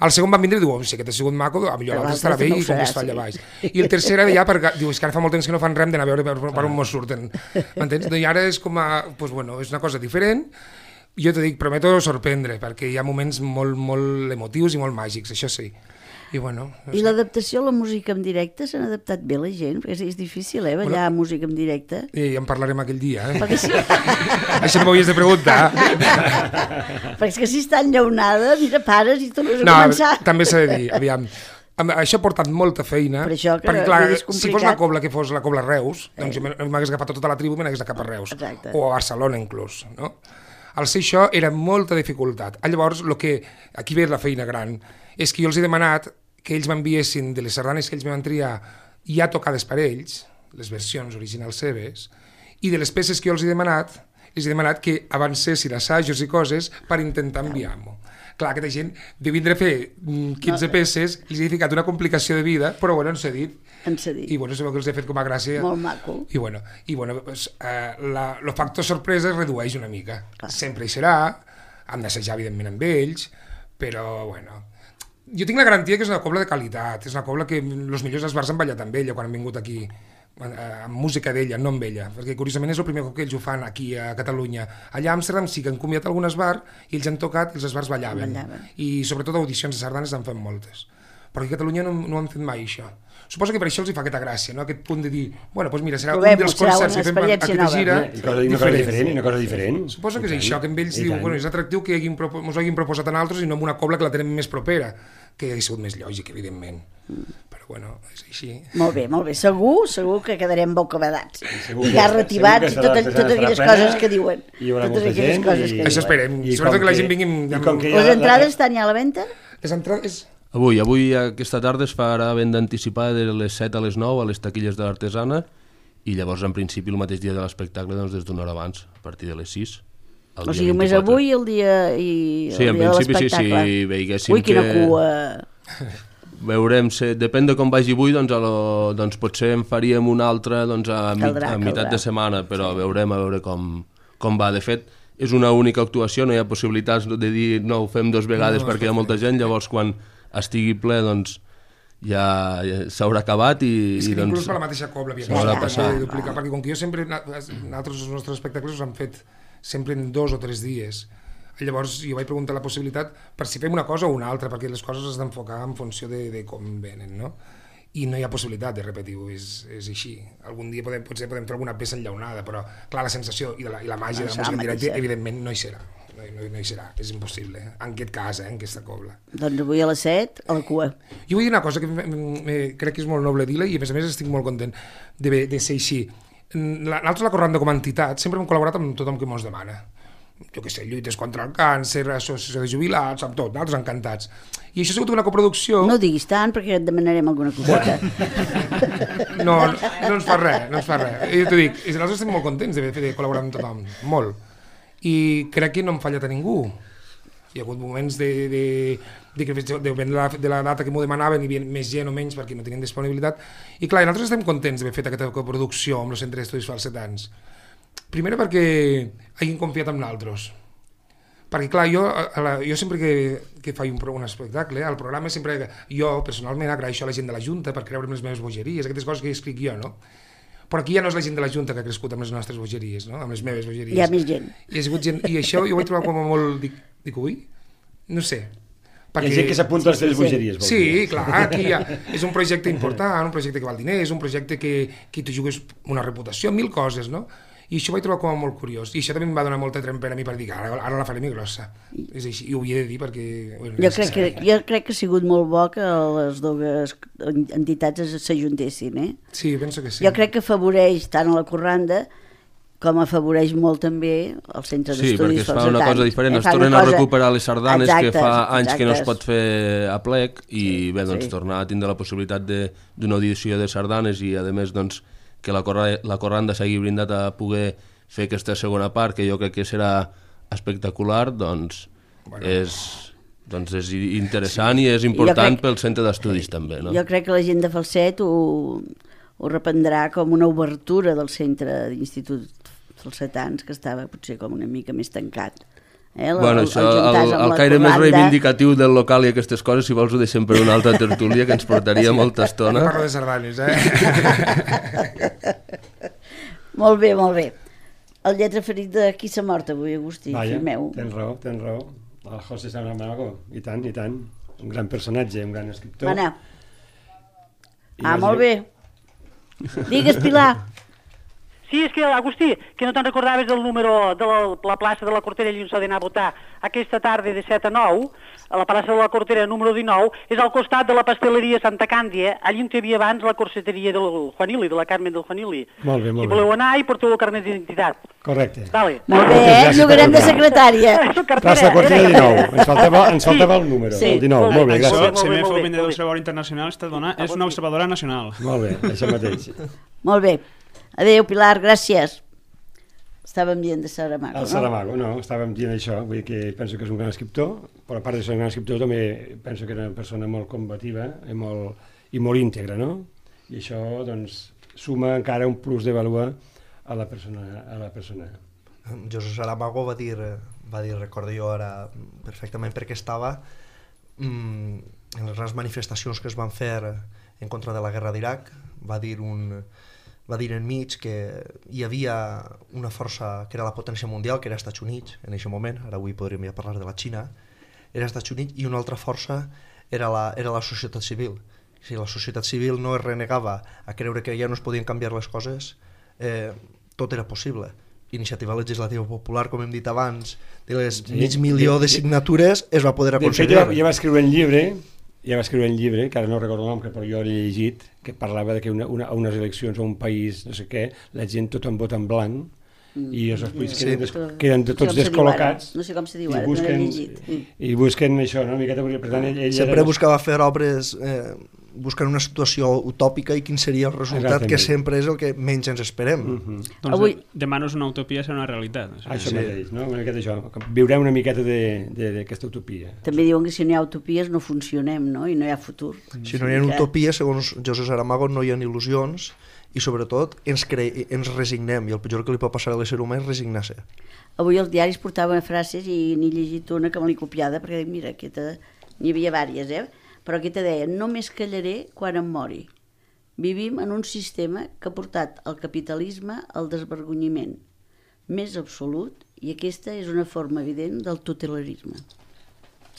El segon van vindre i diu, oh, si aquest ha sigut maco, a millor Però l'altre estarà l'altre bé no i ho com que serà, es fa allà sí. baix. I el tercer era ja perquè, diu, és que ara fa molt temps que no fan res d'anar a veure per, per on mos surten. M'entens? I ara és com a, pues, bueno, és una cosa diferent. Jo t'ho dic, prometo sorprendre, perquè hi ha moments molt, molt emotius i molt màgics, això sí. I bueno... No I sé. l'adaptació a la música en directe s'han adaptat bé la gent? Perquè és difícil, eh, ballar bueno, música en directe. I ja en parlarem aquell dia, eh? Perquè, sí, Això no m'ho havies de preguntar. perquè és que si està enllaunada, mira, pares i tornes a No, començar. també s'ha de dir, aviam, amb- això ha portat molta feina, Per això que perquè clar, és si fos complicat. la cobla que fos la cobla Reus, doncs jo m'hagués agafat tota la tribu i me n'hagués agafat a Reus, Exacte. o a Barcelona inclús, no? Al ser això era molta dificultat. Llavors, lo que, aquí ve la feina gran, és que jo els he demanat que ells m'enviessin de les sardanes que ells me van triar ja tocades per ells, les versions originals seves, i de les peces que jo els he demanat, els he demanat que avancessin assajos i coses per intentar enviar-m'ho. Clar, aquesta gent de vindre a fer mm, quinze peces, els he ficat una complicació de vida, però bueno, ens ha dit. En cedir. I bueno, sabeu que els he fet com a gràcia. Molt maco. I bueno, i bueno pues, eh, la, el factor sorpresa es redueix una mica. Clar. Sempre hi serà, hem d'assajar evidentment amb ells, però bueno... Jo tinc la garantia que és una cobla de qualitat, és una cobla que els millors esbars han ballat amb ella quan han vingut aquí, amb música d'ella, no amb ella, perquè curiosament és el primer cop que ells ho fan aquí a Catalunya. Allà a Amsterdam sí que han convidat algun esbar i ells han tocat i els esbars ballaven. Ballaven. I sobretot audicions de sardanes en fan moltes. Però aquí a Catalunya no, no han fet mai això. Suposo que per això els hi fa aquesta gràcia, no? Aquest punt de dir, bueno, doncs mira, serà Provem-ho, un dels serà concerts una que fem experiència aquesta nova. gira I cosa, i una cosa diferent, i una cosa diferent. Suposo que és I tant, això, que amb ells i diu, tant. bueno, és atractiu que hagin, ens ho hagin proposat a nosaltres i no amb una cobla que la tenem més propera, que hauria sigut més lògic, evidentment. Però bueno, és així. Molt bé, molt bé. Segur, segur que quedarem bocabadats. segur I que- garretivats i segur que totes, serà- totes serà aquelles plena, coses que diuen. hi haurà Totes molta aquelles gent coses i- que Això diuen. esperem. I Sobretot com que la que- gent vingui amb- i com que Les ja- entrades estan ja a la venda? Les entrades... Avui, avui aquesta tarda es farà venda anticipada de les set a les nou a les taquilles de l'Artesana i llavors en principi el mateix dia de l'espectacle doncs des d'una hora abans, a partir de les sis. O sigui, només avui el dia i el Sí, en dia de principi sí, l'espectacle. si veiéssim Ui, quina que- cua. Veurem, se, depèn de com vagi avui, doncs, a lo, doncs potser en faríem una altra doncs, a, mit, Caldrà, a meitat caldrà. de setmana, però sí. veurem a veure com, com va. De fet, és una única actuació, no hi ha possibilitats de dir no, ho fem dues vegades No, no, perquè hi ha molta gent, llavors quan estigui ple doncs ja, ja s'haurà acabat i, És que i doncs... inclús per la mateixa cobla havia s'haurà de passar. duplicar, perquè com que jo sempre, nosaltres els nostres espectacles els han fet sempre en dos o tres dies. Llavors jo vaig preguntar la possibilitat per si fem una cosa o una altra, perquè les coses has d'enfocar en funció de, de com venen, no? I no hi ha possibilitat de repetir-ho, és, és així. Algun dia podem, potser podem fer alguna peça enllaunada, però clar, la sensació i la, i la màgia de la Això, música en directe, mateixa. evidentment, no hi serà. No, no, no hi serà, és impossible, en aquest cas, eh, en aquesta cobla. Doncs avui a les set, a la cua. Jo vull dir una cosa que me, me, crec que és molt noble dir-la i a més a més estic molt content de, de ser així. Nosaltres la Corranda com a entitat sempre hem col·laborat amb tothom que ens demana. Jo què sé, lluites contra el càncer, associació de jubilats, amb tot, nosaltres encantats. I això ha sigut una coproducció... No diguis tant perquè et demanarem alguna coseta. No, no, no ens fa res, no ens fa res. Jo t'ho dic, nosaltres estem molt contents de, de col·laborar amb tothom, molt. I crec que no hem fallat a ningú. Hi ha hagut moments de, de, de que depèn de la, de la data que m'ho demanaven, hi havia més gent o menys perquè no tenien disponibilitat. I clar, nosaltres estem contents d'haver fet aquesta coproducció amb el Centre d'Estudis Falsetans. Primera perquè hagin confiat en nosaltres. Perquè clar, jo, la, jo sempre que, que faig un, un espectacle, al programa sempre, jo personalment agraeixo a la gent de la Junta per creure'm les meves bogeries, aquestes coses que escric jo, no? Però aquí ja no és la gent de la Junta que ha crescut amb les nostres bogeries, no? Amb les meves bogeries. Hi ha més gent. I, ha sigut gent, i això jo ho vaig trobar com a molt... Dic, dic ui? No sé. Perquè... Hi ha gent que s'apunta a les teves bogeries. Sí, sí, clar, aquí ha, és un projecte important, un projecte que val diners, un projecte que, que tu jugues una reputació, mil coses, no? I això ho vaig trobar com a molt curiós. I això també em va donar molta trempera a mi per dir que ara, ara la faré més grossa. És així, i ho havia de dir perquè... Bueno, jo, crec que, jo crec que ha sigut molt bo que les dues entitats s'ajuntessin, eh? Sí, penso que sí. Jo crec que afavoreix tant a la Corranda com afavoreix molt també el Centre sí, d'Estudis Falsetans. Sí, perquè es fa una cosa diferent, eh? Es tornen cosa... a recuperar les sardanes exactes, que fa anys exactes. Que no es pot fer a plec i sí, bé, doncs sí. Tornar a tindre la possibilitat d'una audició de sardanes i a més doncs que la, corra, la Corranda s'hagi brindat a poder fer aquesta segona part, que jo crec que serà espectacular, doncs, bueno. és, doncs és interessant sí. I és important crec, pel centre d'estudis també. No? Jo crec que la gent de Falset ho, ho reprendrà com una obertura del centre d'Institut Falsetans, que estava potser com una mica més tancat. Eh, el, bueno, això, el, el, el caire més reivindicatiu del local i aquestes coses, si vols ho deixem per una altra tertúlia que ens portaria molta estona. No parlo de sardanes, eh? Molt bé, molt bé. El lletra ferit de qui s'ha mort avui, Agustí, Vaja, fill meu. Tens raó, tens raó. El José Saramago, i tant, i tant. Un gran personatge, un gran escriptor. Mana. Ah, molt bé. Digues, Pilar. Sí, és que, Agustí, que no te'n recordaves del número de la, la plaça de la Cortera i on s'ha d'anar a votar aquesta tarda de set a nou, a la plaça de la Cortera número dinou, és al costat de la pasteleria Santa Càndia, allí on hi havia abans la corseteria del Juanili, de la Carmen del Juanili. Molt bé, molt bé. Si voleu anar i porteu el carnet d'identitat. Correcte. Vale. Molt bé, eh? Llogarem de secretària. Plaça Cortera dinou, ens faltava, ens faltava el número, sí. El dinou, molt bé, gràcies. Això, si m'he fet vendre d'Observador Internacional, és una observadora nacional. Molt bé, això mateix. Molt bé. Adéu, Pilar, gràcies. Estàvem dient de Saramago, no? El Saramago, no, estàvem dient això, vull dir que penso que és un gran escriptor, però a part de ser un gran escriptor també penso que era una persona molt combativa i molt, i molt íntegra, no? I això, doncs, suma encara un plus de valor a la persona. A la persona. José Saramago va dir, va dir, recordo jo ara perfectament perquè estava mmm, en les grans manifestacions que es van fer en contra de la guerra d'Iraq, va dir un... va dir enmig que hi havia una força que era la potència mundial, que era Estats Units en aquest moment, ara avui podríem ja parlar de la Xina, era Estats Units, i una altra força era la, era la societat civil. Si la societat civil no es renegava a creure que ja no es podien canviar les coses, eh, tot era possible. Iniciativa Legislativa Popular, com hem dit abans, de les sí, mig milió de signatures es va poder aconseguir. De fet, jo, jo va escriure un llibre ja va escriure un llibre, que ara no recordo el nom, però jo l'he llegit, que parlava de que una, una, a unes eleccions a un país, no sé què, la gent tothom vota en blanc, mm. i els polítics sí. queden, des, queden de tots no descol·locats. No sé com se diu ara, busquen, no l'he llegit. I busquen això, no? Una miqueta, per tant, ell, ell sempre era... buscava fer obres... Eh, buscant una situació utòpica i quin seria el resultat, exactament. Que sempre és el que menys ens esperem. Uh-huh. Doncs avui... demà no és una utopia, serà una realitat. O sigui, això sí. mateix, no? Una miqueta això. Viurem una miqueta d'aquesta utopia. També diuen que si no hi ha utopies no funcionem, no? I no hi ha futur. Si no hi ha utopies, segons José Saramago, no hi ha il·lusions i sobretot ens, cre... ens resignem, i el pitjor que li pot passar a l'ésser humà és resignar-se. Avui els diaris portaven frases i n'he llegit una que me l'he copiada perquè dic, mira, aquesta... n'hi havia vàries, eh? Però aquí te deia, només callaré quan em mori. Vivim en un sistema que ha portat el capitalisme al desvergonyiment més absolut i aquesta és una forma evident del tutelarisme.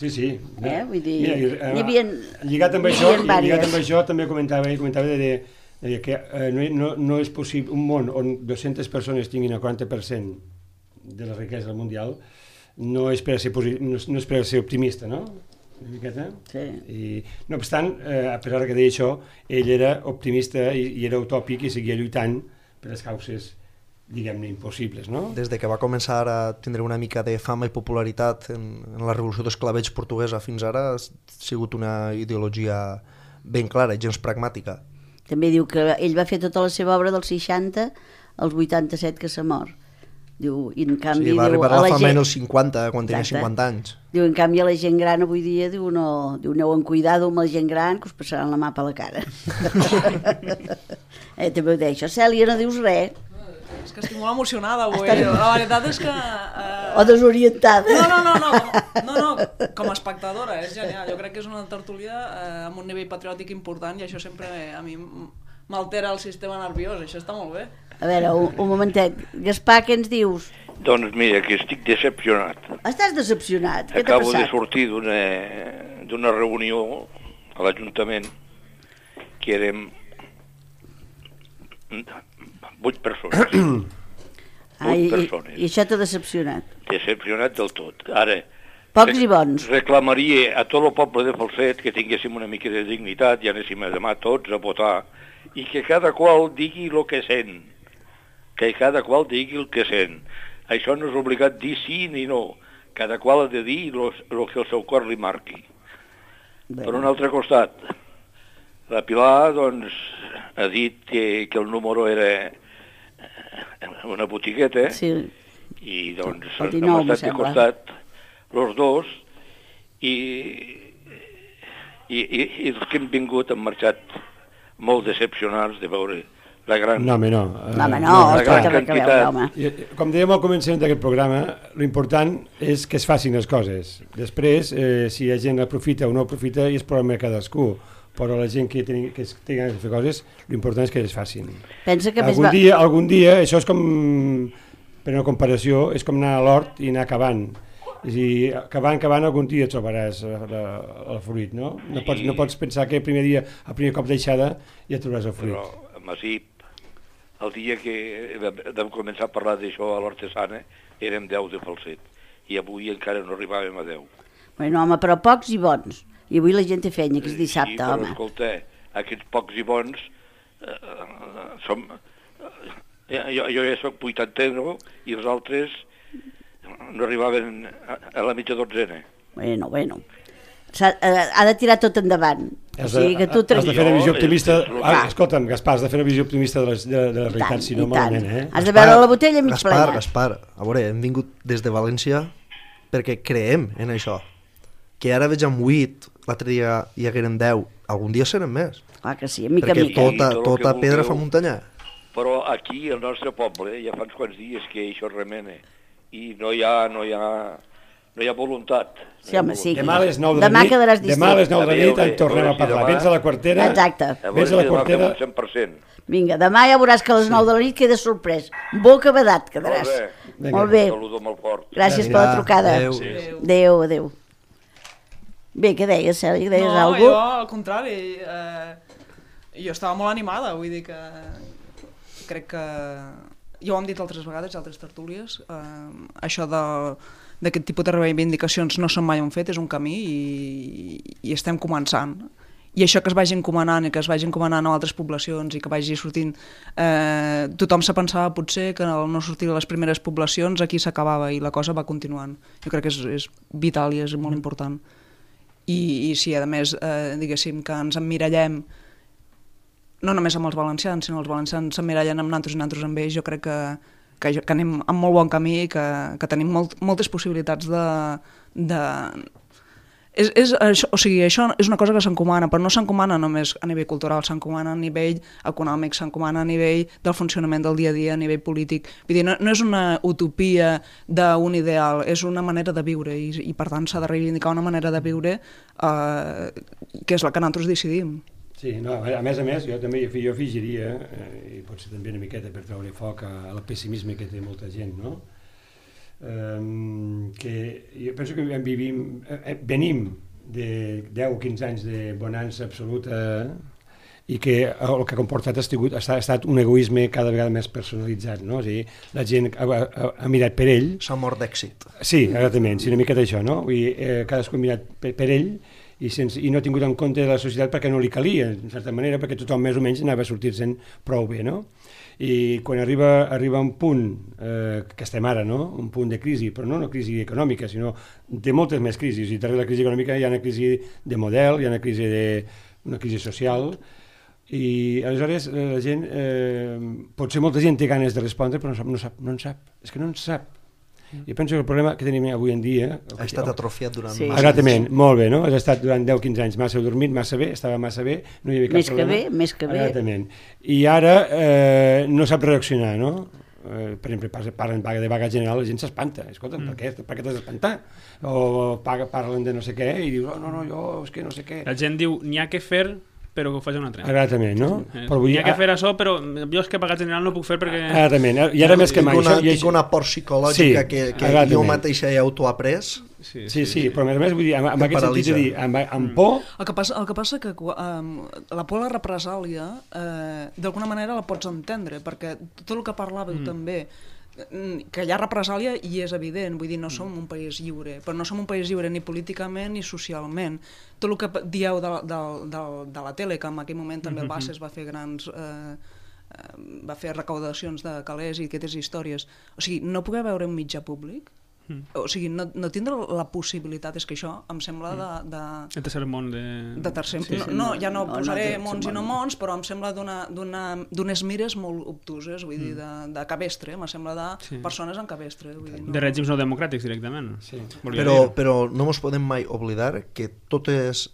Sí, sí. Eh? Vull dir, mira, n'hi havia, lligat amb això, lligat amb això també comentava, comentava de, de que eh, no, no, no és possible un món on dues-centes persones tinguin el quaranta per cent de la riquesa mundial, no és per ser, no és per ser optimista, no? Una miqueta. Sí. I, no obstant, eh, a pesar que deia això, ell era optimista i, i era utòpic i seguia lluitant per les causes, diguem-ne, impossibles, no? Des de que va començar a tindre una mica de fama i popularitat en, en la revolució d'esclavells portuguesa fins ara, ha sigut una ideologia ben clara i gens pragmàtica. També diu que ell va fer tota la seva obra dels seixanta als vuitanta-set que s'ha mort. Diu, i en canvi, Sí, va diu, arribar a a la la fama gent... als cinquanta, quan tenia Exacte. cinquanta anys. Diu, en canvi, a la gent gran avui dia, diu, no, diu, aneu amb cuidado amb la gent gran, que us passaran la mà per la cara. eh, també ho deia això. Cèlia, no dius res. És que estic molt emocionada avui. Estàs- La veritat és que... Eh... O desorientada. No, no, no, no, no, no, com a espectadora, és genial. Jo crec que és una tertúlia eh, amb un nivell patriòtic important i això sempre a mi m'altera el sistema nerviós, això està molt bé. A veure, un, un momentet. Gaspar, què ens dius? Doncs mira, que estic decepcionat. Estàs decepcionat? Què t'ha Acabo de passat? sortir d'una d'una reunió a l'Ajuntament que érem vuit persones. Ah, i, vuit i, persones. I això t'ha decepcionat? Decepcionat del tot. Ara, Pocs i bons. reclamaria a tot el poble de Falset que tinguéssim una mica de dignitat i anéssim a demà tots a votar i que cada qual digui el que sent. Que cada qual digui el que sent. Això no és obligat dir sí ni no. Cada qual ha de dir el que el seu cor li marqui. Bé. Per un altre costat, la Pilar doncs, ha dit que, que el número era una botigueta Sí. i doncs El hem dinou, em estat de sembla. costat los dos i, i, i, i els que hem vingut han marxat molt decepcionats de veure la gran... No, home, no. No, home, no, la escolta, gran res que veure, quantitat. home. I, Com dèiem al començament d'aquest programa, l'important és que es facin les coses. Després, eh, si la gent aprofita o no aprofita, és problema de cadascú. Però la gent que tingui que tingui de fer coses, l'important és que es facin. Pensa que més Algun va... dia, algun dia, això és com, per una comparació, és com anar a l'hort i anar cavant. És a dir, cavant, cavant, algun dia trobaràs eh, la, el fruit, no? No pots, no pots pensar que el primer dia, el primer cop d'aixada, ja trobaràs el fruit. Però a Masip, el dia que vam començar a parlar d'això a l'Hortesana, érem deu de Falset. I avui encara no arribàvem a deu. Bueno, home, però pocs i bons. I avui la gent té feina, que és dissabte, sí, però home. escolta, aquests pocs i bons eh, som... Eh, jo, jo ja soc vuitanteno i els altres no arribaven a, a la mitja dotzena. Bueno, bueno. Ha, ha de tirar tot endavant. O Has de, sigui que tu... has de fer una visió Jo, optimista. és- és- Ah, escolta'm, Gaspar, has de fer una visió optimista de la, de, de la I realitat, tant, si no i tant. malament, eh? Has de veure la botella mig Gaspar, plena. Gaspar, a veure, hem vingut des de València perquè creem en això. Que ara veig amb vuit, l'altre dia hi hagueren deu, algun dia seran més. Clar que sí, mica perquè en mica. tota, tot el tota que pedra vulgueu. fa muntanyà. Però aquí, al nostre poble, ja fa uns quants dies que això remena i no hi ha, no hi ha, no hi ha voluntat. Sí, home, sí. Demà a les nou de la Demà nit, quedaràs demà a les nou de la A veure, nit en tornem a a veure si parlar. demà- Vens a la quartera, Exacte. A vens veure a si la demà fem quartera, un cent per cent. Vinga, demà ja veuràs que a les nou de la nit queda sorprès. Boca badat quedaràs. Molt bé. Vinga. Molt bé. Saludo molt fort. Gràcies Vinga, per la trucada. adéu. Sí. Adéu, adéu. Bé, què deies, Cèlia? Deies no, alguna jo cosa? al contrari, eh, jo estava molt animada, vull dir que crec que, ja ho hem dit altres vegades, altres tertúlies, eh, això de d'aquest tipus de reivindicacions no són mai un fet, és un camí i, i estem començant. I això que es vagi encomanant i que es vagi encomanant a altres poblacions i que vagi sortint, eh, tothom se pensava potser que al no sortir a les primeres poblacions aquí s'acabava i la cosa va continuant. Jo crec que és, és vital i és molt important. I, i si a més, eh, diguéssim, que ens emmirallem no només amb els valencians, sinó els valencians s'emmirallen amb nosaltres i nosaltres amb ells, jo crec que, que, que anem amb molt bon camí i que, que tenim molt, moltes possibilitats de... de... És, és, això, o sigui, això és una cosa que s'encomana, però no s'encomana només a nivell cultural, s'encomana a nivell econòmic, s'encomana a nivell del funcionament del dia a dia, a nivell polític. Vull dir, no, no és una utopia d'un ideal, és una manera de viure i, i per tant s'ha de reivindicar una manera de viure eh, que és la que nosaltres decidim. Sí, no, a més a més, jo també jo afegiria, eh, i potser també una miqueta per treure foc al pessimisme que té molta gent, no? Um, que jo penso que vivim, eh, venim de deu o quinze anys de bonança absoluta i que el que ha comportat ha estat, ha estat un egoisme cada vegada més personalitzat, no? O sigui, la gent ha, ha, ha mirat per ell. S'ha mort d'èxit. Sí, exactament, sí, una mica d'això, no? Vull dir, eh, cadascú ha mirat per, per ell i, sense, i no ha tingut en compte la societat perquè no li calia, en certa manera, perquè tothom més o menys anava a sortir-se'n prou bé, no? I quan arriba, arriba un punt, eh, que estem ara, no? Un punt de crisi, però no una crisi econòmica, sinó de moltes més crisis, i darrere la crisi econòmica hi ha una crisi de model, hi ha una crisi, de, una crisi social, I aleshores eh, la gent, eh, potser molta gent té ganes de respondre, però no, sap, no, sap, no en sap, és que no en sap. Jo penso que el problema que tenim avui en dia... Ha estat atrofiat durant sí. massa Exactament, anys. Molt bé, no? Has estat durant deu quinze anys massa dormit, massa bé, estava massa bé, no hi havia cap més problema. Més que bé, més que bé. Exactament. I ara eh, no sap reaccionar, no? Eh, per exemple, parlen de vaga general, la gent s'espanta. Escolta, mm. per què, per què t'has d'espantar? O paga, parlen de no sé què i dius, oh, no, no, jo, és que no sé què. La gent diu, n'hi ha que fer, però que ho faci un altre. Exactament, no? Sí. Però vull dir, hi ha que fer això, però jo és que pagat general no puc fer perquè... Exactament, i ara més que mai... Tinc una, això, tinc una por psicològica sí, que, que jo mateixa he autoaprès. Sí, sí, sí, però a més a més, vull dir, amb, amb aquest sentit de dir, amb, amb por... El que passa, el que passa que um, la por a la represàlia, eh, d'alguna manera la pots entendre, perquè tot el que parlàveu mm. també, que hi ha represàlia i és evident, vull dir, no som un país lliure, però no som un país lliure ni políticament ni socialment. Tot el que dieu de, de, de, de la tele, que en aquell moment també el Bases va fer grans... Eh, va fer recaudacions de calés i aquestes històries. O sigui, no poder veure un mitjà públic, mm. o sigui, no, no tindre la possibilitat, és que això em sembla de... de el tercer món de... de tercer, sí, sí. No, no, ja no, no posaré no, no, mons i no mons, però em sembla d'unes mires molt obtuses, vull dir, de, de cabestre, em sembla de sí. persones en cabestre. Vull dir, no... De règims no democràtics, directament. Sí. Però, però no ens podem mai oblidar que totes,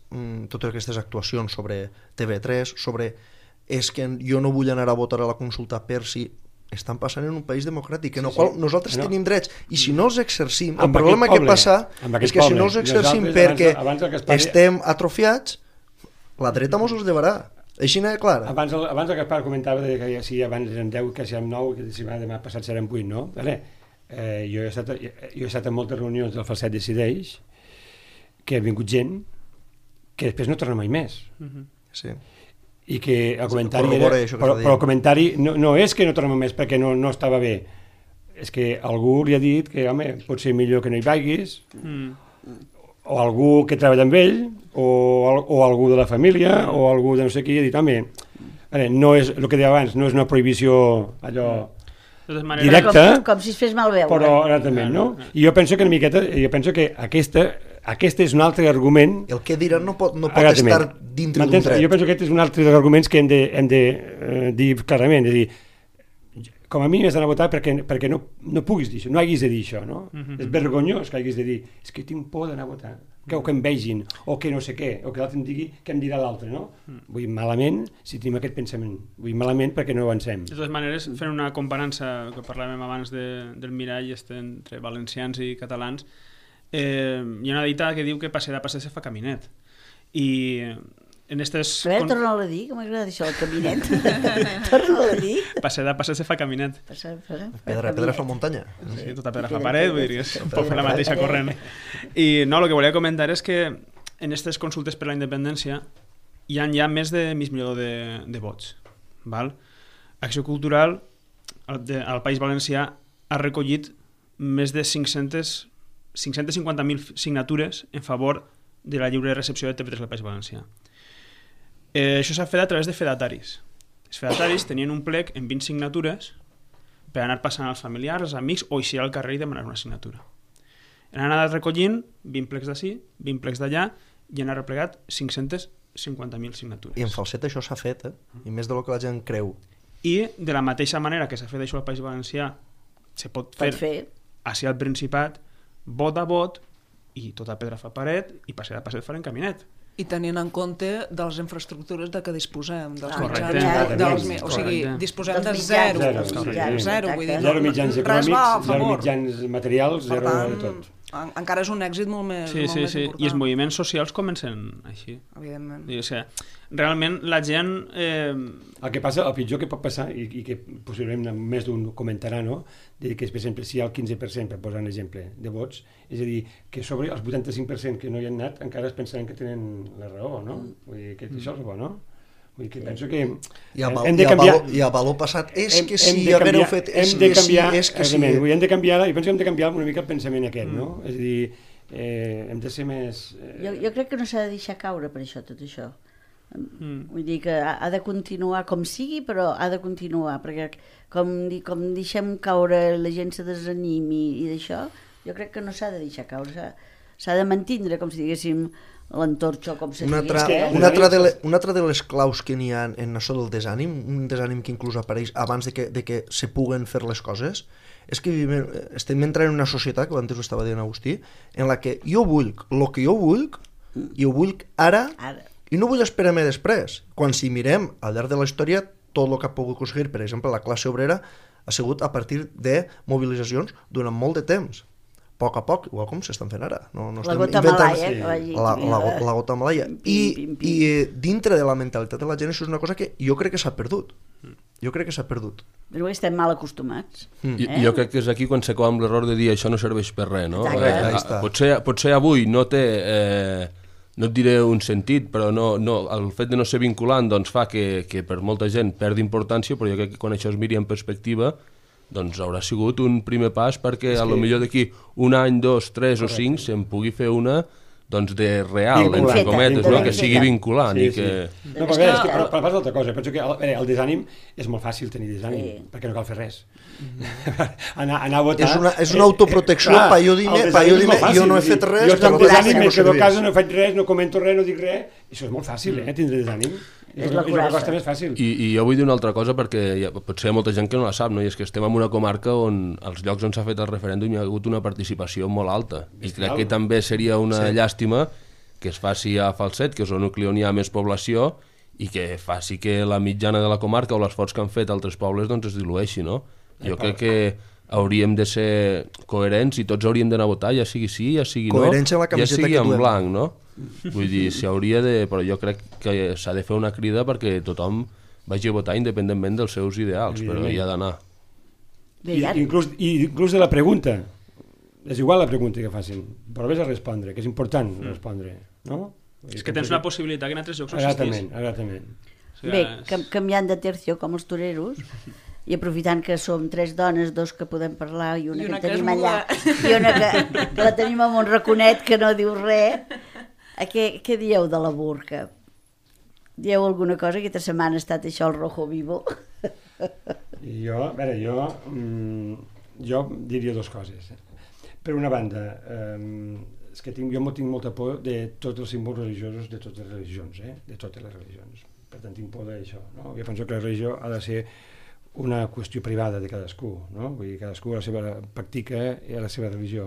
totes aquestes actuacions sobre T V tres, sobre és que jo no vull anar a votar a la consulta per si estan passant en un país democràtic, en el sí, qual nosaltres no. tenim drets, i si no els exercim, el problema que passa és que si no els exercim perquè abans, abans Gaspar... estem atrofiats, la dreta mos els llevarà. Així n'hi clar. Abans el, abans el Gaspar comentava que si abans eren deu, que si eren nou, que si demà passat seran vuit, no? Vale. Eh, jo, he estat, jo he estat en moltes reunions del Falset Decideix, que ha vingut gent que després no torna mai més. Uh-huh. Sí. I que el comentari era, però, però el comentari no, no és que no torna més perquè no, no estava bé, és que algú li ha dit que home, pot ser millor que no hi vagis, mm. o algú que treballa amb ell, o, o algú de la família, mm. o algú de no sé qui, ha dit home, no és, el que deia abans, no és una prohibició allò directa, com, com si es fes malveure, però exactament, no? I jo penso que una miqueta, jo penso que aquesta Aquest és un altre argument... El que diran no pot, no pot estar dintre d'un dret. Jo penso que aquest és un altre dels arguments que hem de, hem de eh, dir clarament. És dir, com a mínim has d'anar a votar perquè, perquè no, no puguis dir això, no haguis de dir això, no? Mm-hmm. És vergonyós que haguis de dir és que tinc por d'anar a votar, que, o que em vegin, o que no sé què, o que l'altre em digui què em dirà l'altre, no? Mm. Vull dir, malament si tenim aquest pensament. Vull dir, malament perquè no avancem. De totes maneres, fent una comparança que parlàvem abans de, del mirall este entre valencians i catalans, Eh, hi ha una dita que diu que passejar a passejar se fa caminet i en estes... A veure, torna-ho a dir, que m'agrada això, el caminet. Torna-ho a dir. Passejar a passejar se fa caminet. Passejar, passejar, pedra, pedra fa muntanya. Sí, tota pedra fa paret, vull dir, és un poc la mateixa corrent. I no, el que volia comentar és que en aquestes consultes per la independència hi ha ja més de mig milió de, de vots. Val? Acció Cultural al, de, al País Valencià ha recollit més de cinc-centes cinc-centes cinquanta mil signatures en favor de la lliure recepció de T V tres al País Valencià. Eh, això s'ha fet a través de fedataris. Els fedataris tenien un plec amb vint signatures per anar passant als familiars, als amics, o eixir al carrer i demanar una signatura. Han anat recollint vint plecs d'ací, vint plecs d'allà, i han arreplegat cinc-centes cinquanta mil signatures. I en Falset això s'ha fet, eh? I més del que la gent creu. I de la mateixa manera que s'ha fet això al País Valencià, se pot fer, fer. així al Principat, vot a vot, i tota pedra fa paret, i passejar a passejar farem caminet. I tenint en compte de les infraestructures de què disposem, dels correcte, mitjans, dels, o sigui, disposem de zero, zero, zero, zero, vull dir, zero mitjans econòmics, zero mitjans materials, zero de tot. Encara és un èxit molt més, sí, molt sí, més sí. important. I els moviments socials comencen així. Evidentment. I, o sigui, realment la gent... Eh... El que passa, el pitjor que pot passar, i, i que possiblement més d'un comentarà, no? De que, per exemple, si hi ha el quinze per cent, per posar un exemple, de vots, és a dir, que sobre els vuitanta-cinc per cent que no hi han anat encara es pensaran que tenen la raó, no? Vull dir que això és bo, no? Vull dir que penso que I a, hem de canviar... I a valor passat és hem, que si haguéreu fet... És que sí, és que sí. Hem de canviar, i penso que hem de canviar una mica el pensament aquest, no? Mm. És a dir, eh, hem de ser més... Eh... Jo, jo crec que no s'ha de deixar caure per això, tot això. Mm. Vull dir que ha, ha de continuar com sigui, però ha de continuar, perquè com, com deixem caure la gent se desanimi i d'això, jo crec que no s'ha de deixar caure, s'ha de mantindre, com si diguéssim, l'entorxo, com se Una digui. altra, eh? una, altra de le, una altra de les claus que n'hi ha en això del desànim, un desànim que inclús apareix abans de que, de que se puguen fer les coses, és que vivim, estem entrant en una societat, que abans ho estava dient Agustí, en la que jo vull el que jo vull, i ho vull ara, Ara. i no vull esperar-me després. Quan si mirem al llarg de la història, tot el que ha pogut aconseguir, per exemple, la classe obrera, ha sigut a partir de mobilitzacions durant molt de temps. A poc a poc, igual com s'estan fent ara. No, no La estem gota inventant- malaia, que va dir. la, la, la gota malaia. Pim, I, pim, pim. I eh, dintre de la mentalitat de la gent això és una cosa que jo crec que s'ha perdut. Jo crec que s'ha perdut. Però estem mal acostumats. I, Eh? Jo crec que és aquí quan s'acaba amb l'error de dir això no serveix per res, no? Exacte. Eh, Ahí està. potser, potser avui no té, eh, no et diré un sentit, però no, no, el fet de no ser vinculant doncs, fa que, que per molta gent perdi importància, però jo crec que quan això es miri en perspectiva doncs haurà sigut un primer pas perquè a lo millor d'aquí un any, dos, tres o cinc se'n pugui fer una doncs de real, Vinculant. entre cometes, no? Vinculant. que sigui vinculant Sí, i que... sí. No, però, bé, és que, però, però passa altra cosa. Penso que el, bé, el desànim és molt fàcil tenir desànim, Sí. perquè no cal fer res. anar, anar a votar... És una, és una autoprotecció, clar, pa jo dir-me, el pa jo desànim és dir-me, molt fàcil, jo no he vull dir, fet res, Jo per estic lo tant, desànim, no me quedo a serveix. casa, no faig res, no comento res, no dic res. Això és molt fàcil, eh, tindre desànim. És És, la és la curasa. cosa més fàcil. I, I jo vull dir una altra cosa perquè hi ha, potser hi ha molta gent que no la sap, no? I és que estem en una comarca on els llocs on s'ha fet el referèndum hi ha hagut una participació molt alta. I crec que també seria una sí. llàstima que es faci a Falset, que és el nucli on hi ha més població, i que faci que la mitjana de la comarca o l'esforç que han fet altres pobles doncs es dilueixi, no? Jo crec que hauríem de ser coherents i tots hauríem d'anar a votar, ja sigui sí, ja sigui Coherència no, en la camiseta ja sigui que en duem. blanc, no? Vull dir, s'hauria de... Però jo crec que s'ha de fer una crida perquè tothom vagi a votar independentment dels seus ideals, però hi ha d'anar. Bé, I, ja, inclús, I inclús de la pregunta. És igual la pregunta que facin, però vés a respondre, que és important respondre, no? És que tens una possibilitat que en altres llocs no Exactament, existís. exactament. O sigui, bé és- cam canviant de tercio, com els toreros, i aprofitant que som tres dones, dos que podem parlar i una, I una que que és tenim allà, muda. i una que, que la tenim amb un raconet que no diu res. A què, què dieu de la burca? Dieu alguna cosa? Aquesta setmana ha estat això el rojo vivo. I jo, a veure, jo, mm, jo diria dues coses. Per una banda, eh, és que tinc, jo tinc molta por de tots els símbols religiosos de totes les religions, eh? de totes les religions. Per tant, tinc por d'això. No? Jo penso que la religió ha de ser una qüestió privada de cadascú, no? Vull dir, cadascú a la seva pràctica i a la seva religió.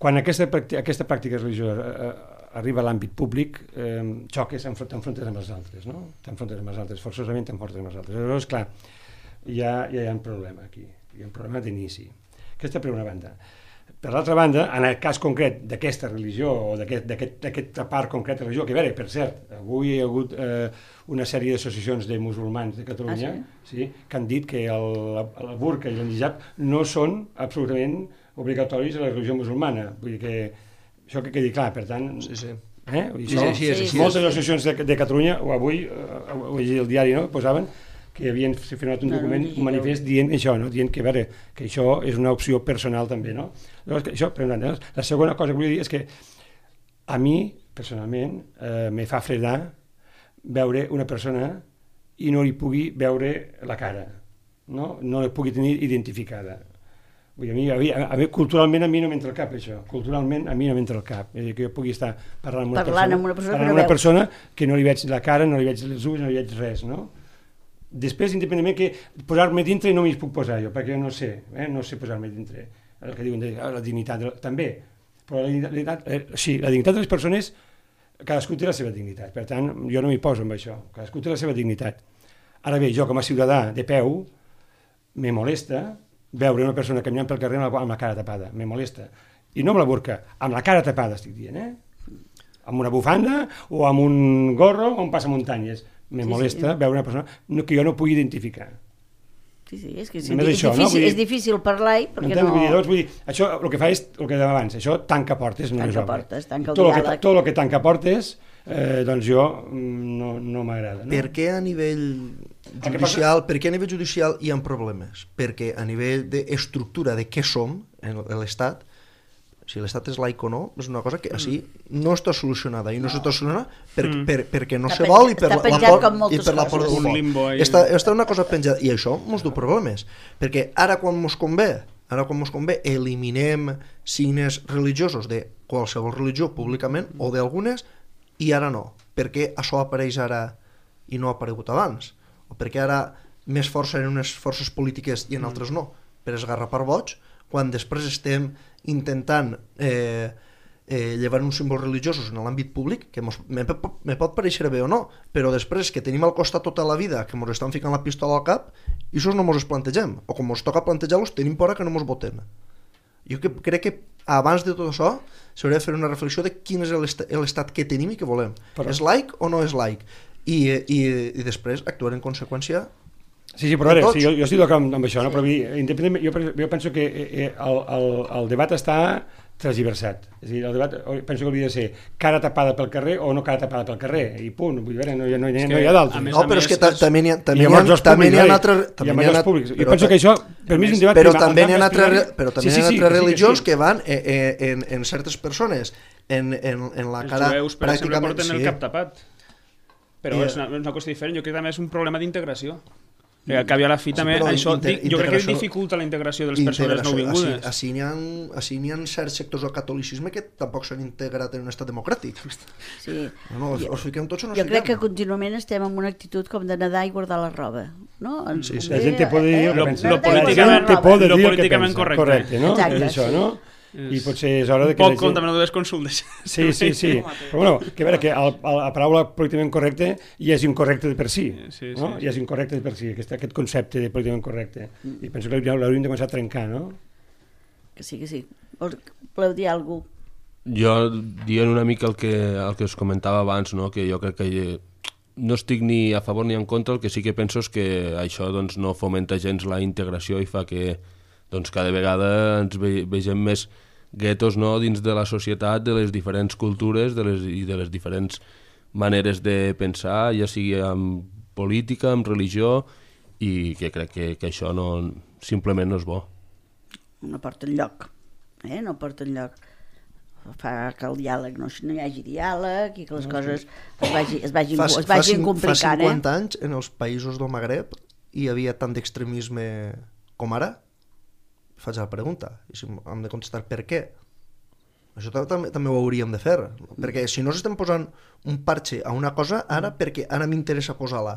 Quan aquesta, aquesta pràctica religiosa eh, arriba a l'àmbit públic, eh, xoques, t'enfrontes amb els altres, no? T'enfrontes amb els altres, forçosament t'enfrontes amb els altres. Llavors, clar, ja, ja hi ha un problema aquí, hi ha un problema d'inici. Aquesta per una banda. Per l'altra banda, en el cas concret d'aquesta religió o d'aquesta part concreta de religió, que a veure, per cert, avui hi ha hagut eh, una sèrie d'associacions de musulmans de Catalunya Ah, sí? Sí, que han dit que el, la, la burca i l'hijab no són absolutament obligatoris a la religió musulmana. Vull dir que això que quedi clar, per tant... Sí, sí. Eh? Vull dir, Sí, això, sí, sí, sí, moltes sí. associacions de, de Catalunya, o avui, eh, ho he llegit al diari, no?, posaven que havien firmat un No, no, document, no, no. un manifest dient això, no? Dient que, a veure, que això és una opció personal també, no? Llavors, que això, per una banda. La segona cosa que volia dir és que a mi, personalment, eh, me fa fredar veure una persona i no li pugui veure la cara, no? No la pugui tenir identificada. Vull dir, a mi, a mi, a mi, culturalment a mi no m'entra al cap això, culturalment a mi no m'entra al cap, és a dir, que jo pugui estar parlant amb una Parlant persona, amb una persona parlant que no amb una veus. persona que no li veig la cara, no li veig els ulls, no li veig res, no? Després, independentment que posar-me dintre no m'hi puc posar jo, perquè jo no sé, eh? no sé posar-me dintre. El que diuen de ah, la dignitat, de, també, però la dignitat, eh, sí, la dignitat de les persones, cadascú té la seva dignitat, per tant, jo no m'hi poso amb això, cadascú té la seva dignitat. Ara bé, jo com a ciutadà de peu, me molesta veure una persona caminant pel carrer amb la, amb la cara tapada, me molesta. I no amb la burca, amb la cara tapada estic dient, eh? Amb una bufanda o amb un gorro o un passamuntanyes. Me Sí, molesta sí. veure una persona no, que jo no pugui identificar. Sí, sí, és que és, Només és, això, no? difícil, Vull dir- és difícil parlar-hi perquè Entens? no... Vull dir, doncs, vull dir, això el que fa és el que dèiem abans, això tanca portes, no Tanca és obra. portes, tanca el tot el que, diàleg. tot el que tanca portes, eh, doncs jo mm, no, no m'agrada. No? Per què a nivell que judicial, per què a nivell judicial hi ha problemes? Perquè a nivell d'estructura de què som en l'Estat, si l'Estat és laic o no, és una cosa que així no està solucionada i no, no. s'està solucionada per, Mm. per, perquè no Està se vol i penjat- per està la, la penjat por, com i moltes per la por coses. del Un foc. limbo ahí. Està, està una cosa penjada i això ens du problemes, perquè ara quan mos convé, ara quan mos convé eliminem signes religiosos de qualsevol religió públicament o d'algunes, i ara no? Per què això apareix ara i no ha aparegut abans? O per què ara més força en unes forces polítiques i en altres no? Per esgarrapar boig, quan després estem intentant eh, eh, llevar uns símbols religiosos en l'àmbit públic, que mos, me, me pot pareixer bé o no, però després que tenim al costat tota la vida que ens estan ficant la pistola al cap, i això no ens plantegem, o com ens toca plantejar-los tenim por que no ens voten. Jo que, crec que abans de tot això s'hauria de fer una reflexió de quin és l'estat que tenim i que volem. Però... és laic o no és laic? I, i, i després actuar en conseqüència. Sí, sí, però a veure, sí, jo, jo estic d'acord amb, amb això, no? Però jo, jo penso que eh, el, el, el debat està transversat. És a dir, el debat penso que hauria de ser cara tapada pel carrer o no cara tapada pel carrer, i punt, vull dir, no hi ha, no hi ha, no hi ha d'altres. No, però és que també n'hi ha també n'hi ha altres... Jo penso que això, per mi és un debat... Però també n'hi ha altres religions que van en certes persones, en la cara... Els jueus, per exemple, porten el cap tapat. Però és una, una qüestió diferent, jo crec que també és un problema d'integració. Perquè al cap i a la fi també, sí, això, inter, jo crec que dificulta la integració de les persones nouvingudes. Així n'hi ha, ha certs sectors del catolicisme que tampoc s'han integrat en un estat democràtic. Sí. No, jo, us fiquem tots o no jo crec que contínuament estem en una actitud com de nedar i guardar la roba. No? Sí, sí. La gent te pot dir... Eh? Lo, lo políticament, te pot dir lo el políticament que pensa. Correcte. Correcte, no? Exacte, això, sí. no? I potser és hora de que... Un poc com també no dues consultes. Sí, sí, sí. Però bueno, que a veure, que el, la paraula políticament correcte ja és incorrecte de per si, sí, sí, no? Sí. Ja és incorrecte de per si, aquest, aquest concepte de políticament correcte. I penso que l'hauríem de començar a trencar, no? Que sí, que sí. Voleu dir alguna cosa? Jo dient una mica el que, el que us comentava abans, no? Que jo crec que no estic ni a favor ni en contra, el que sí que penso és que això doncs, no fomenta gens la integració i fa que doncs, cada vegada ens ve, vegem més guetos, no? Dins de la societat, de les diferents cultures de les, i de les diferents maneres de pensar, ja sigui amb política, amb religió, i que crec que, que això no, simplement no és bo. No porta enlloc, eh? no porta enlloc. Fa que el diàleg no, no hi hagi diàleg i que les coses es, vagi, es vagin, fa, es vagin fa, complicant. Fa cinquanta eh? anys, en els països del Magreb, hi havia tant d'extremisme com ara? Faig la pregunta, i si hem de contestar per què. Això també, també ho hauríem de fer, perquè si no s'estem posant un parche a una cosa, ara perquè ara m'interessa posar-la,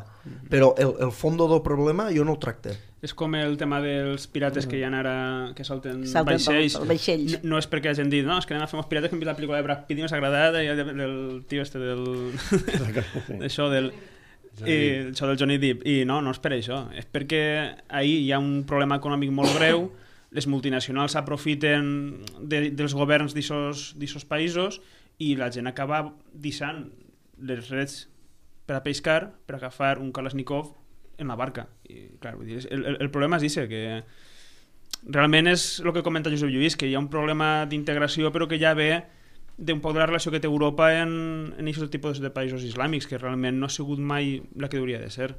però el, el fondo del problema jo no el tracte. És com el tema dels pirates que hi ha ara, que salten, salten vaixells. vaixells. No, no és perquè hagin dit, no, és que anem a fer uns pirates que hem vist la pel·lícula de Brad Pitt i m'ha agradat, del, del tio este del... això del... I, això del Johnny Depp, i no, no és per això, és perquè ahir hi ha un problema econòmic molt greu, les multinacionals s'aprofiten de, dels governs d'aquests països i la gent acaba deixant les reds per a pescar, per agafar un Kalashnikov en la barca. I, clar, vull dir, el, el, el problema és això, que realment és el que comenta Josep Lluís, que hi ha un problema d'integració però que ja ve d'un poc de la relació que té Europa en aquests tipus de països islàmics, que realment no ha sigut mai la que hauria de ser.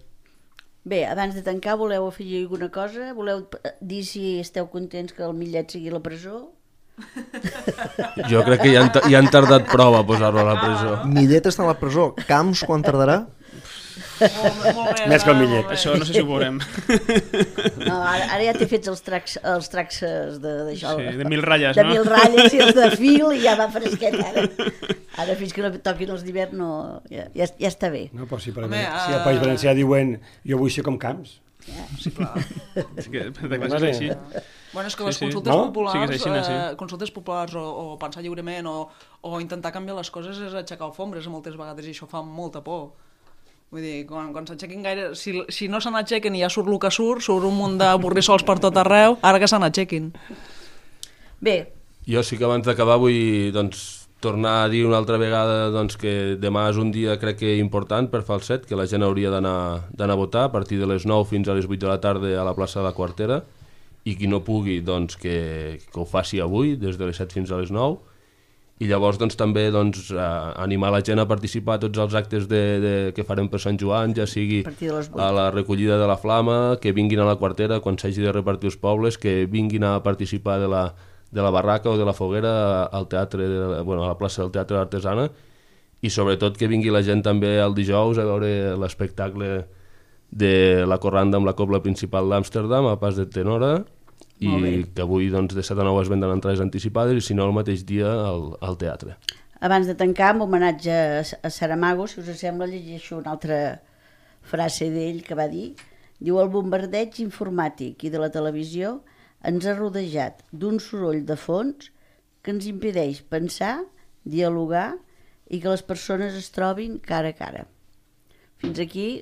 Bé, abans de tancar, voleu afegir alguna cosa? Voleu dir si esteu contents que el Millet sigui a la presó? Jo crec que ja han, ja han tardat prou a posar-lo a la presó. Millet està a la presó. Camps, quan tardarà? Molt, molt bé, més que el Millet. Això no sé si ho veurem. No, ara, ara ja t'he fet els tracs, els traxes de, d'això, sí, de mil ratlles, de no? mil ratlles i els de fil i ja va fresquet ara. Ara fins que no toquin els d'hivern no, ja, ja, ja està bé. No, però si, per Home, si al País Valencià diuen jo vull ser com Camps. Ja. Sí, clar. És que, és així. Bueno, és que Sí, les sí. consultes No? populars, Sí que és així, no? Sí. eh, consultes populars o, o pensar lliurement o, o intentar canviar les coses és aixecar alfombres moltes vegades i això fa molta por. Vull dir, quan, quan s'aixequin gaire... Si, si no se n'aixequen i ja surt el que surt, surt un munt de borrissols per tot arreu, ara que se n'aixequin. Bé, Jo sí que abans d'acabar vull doncs, tornar a dir una altra vegada doncs, que demà és un dia crec que important per Falset, que la gent hauria d'anar d'anar a votar a partir de les nou fins a les vuit de la tarda a la plaça de la Quartera, i qui no pugui doncs, que, que ho faci avui des de les set fins a les nou. I llavors doncs, també doncs, a animar la gent a participar a tots els actes de, de, que farem per Sant Joan, ja sigui A partir de les vuit. a la recollida de la flama, que vinguin a la Quartera quan s'hagi de repartir els pobles, que vinguin a participar de la, de la barraca o de la foguera al teatre, de, bueno, a la plaça del Teatre d'Artesana, i sobretot que vingui la gent també el dijous a veure l'espectacle de la corranda amb la cobla principal d'Amsterdam, a Pas de Tenora, i que avui doncs, de set a nou es venden entrades anticipades i si no el mateix dia al, al teatre. abans de tancar, amb homenatge a Saramago, si us sembla, llegeixo una altra frase d'ell que va dir. Diu, el bombardeig informàtic i de la televisió ens ha rodejat d'un soroll de fons que ens impedeix pensar, dialogar i que les persones es trobin cara a cara. Fins aquí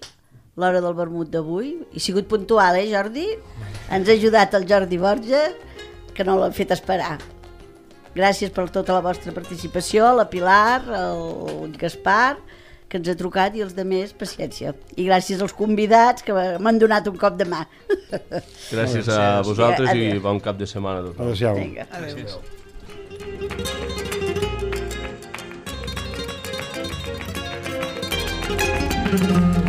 l'hora del vermut d'avui. He sigut puntual, eh, Jordi? Ens ha ajudat el Jordi Borja, que no l'ha fet esperar. Gràcies per tota la vostra participació, la Pilar, el Gaspar, que ens ha trucat, i els demés, paciència. I gràcies als convidats que m'han donat un cop de mà. Gràcies a vosaltres i bon cap de setmana a tots. Adéu. Vinga. Adéu. Adéu.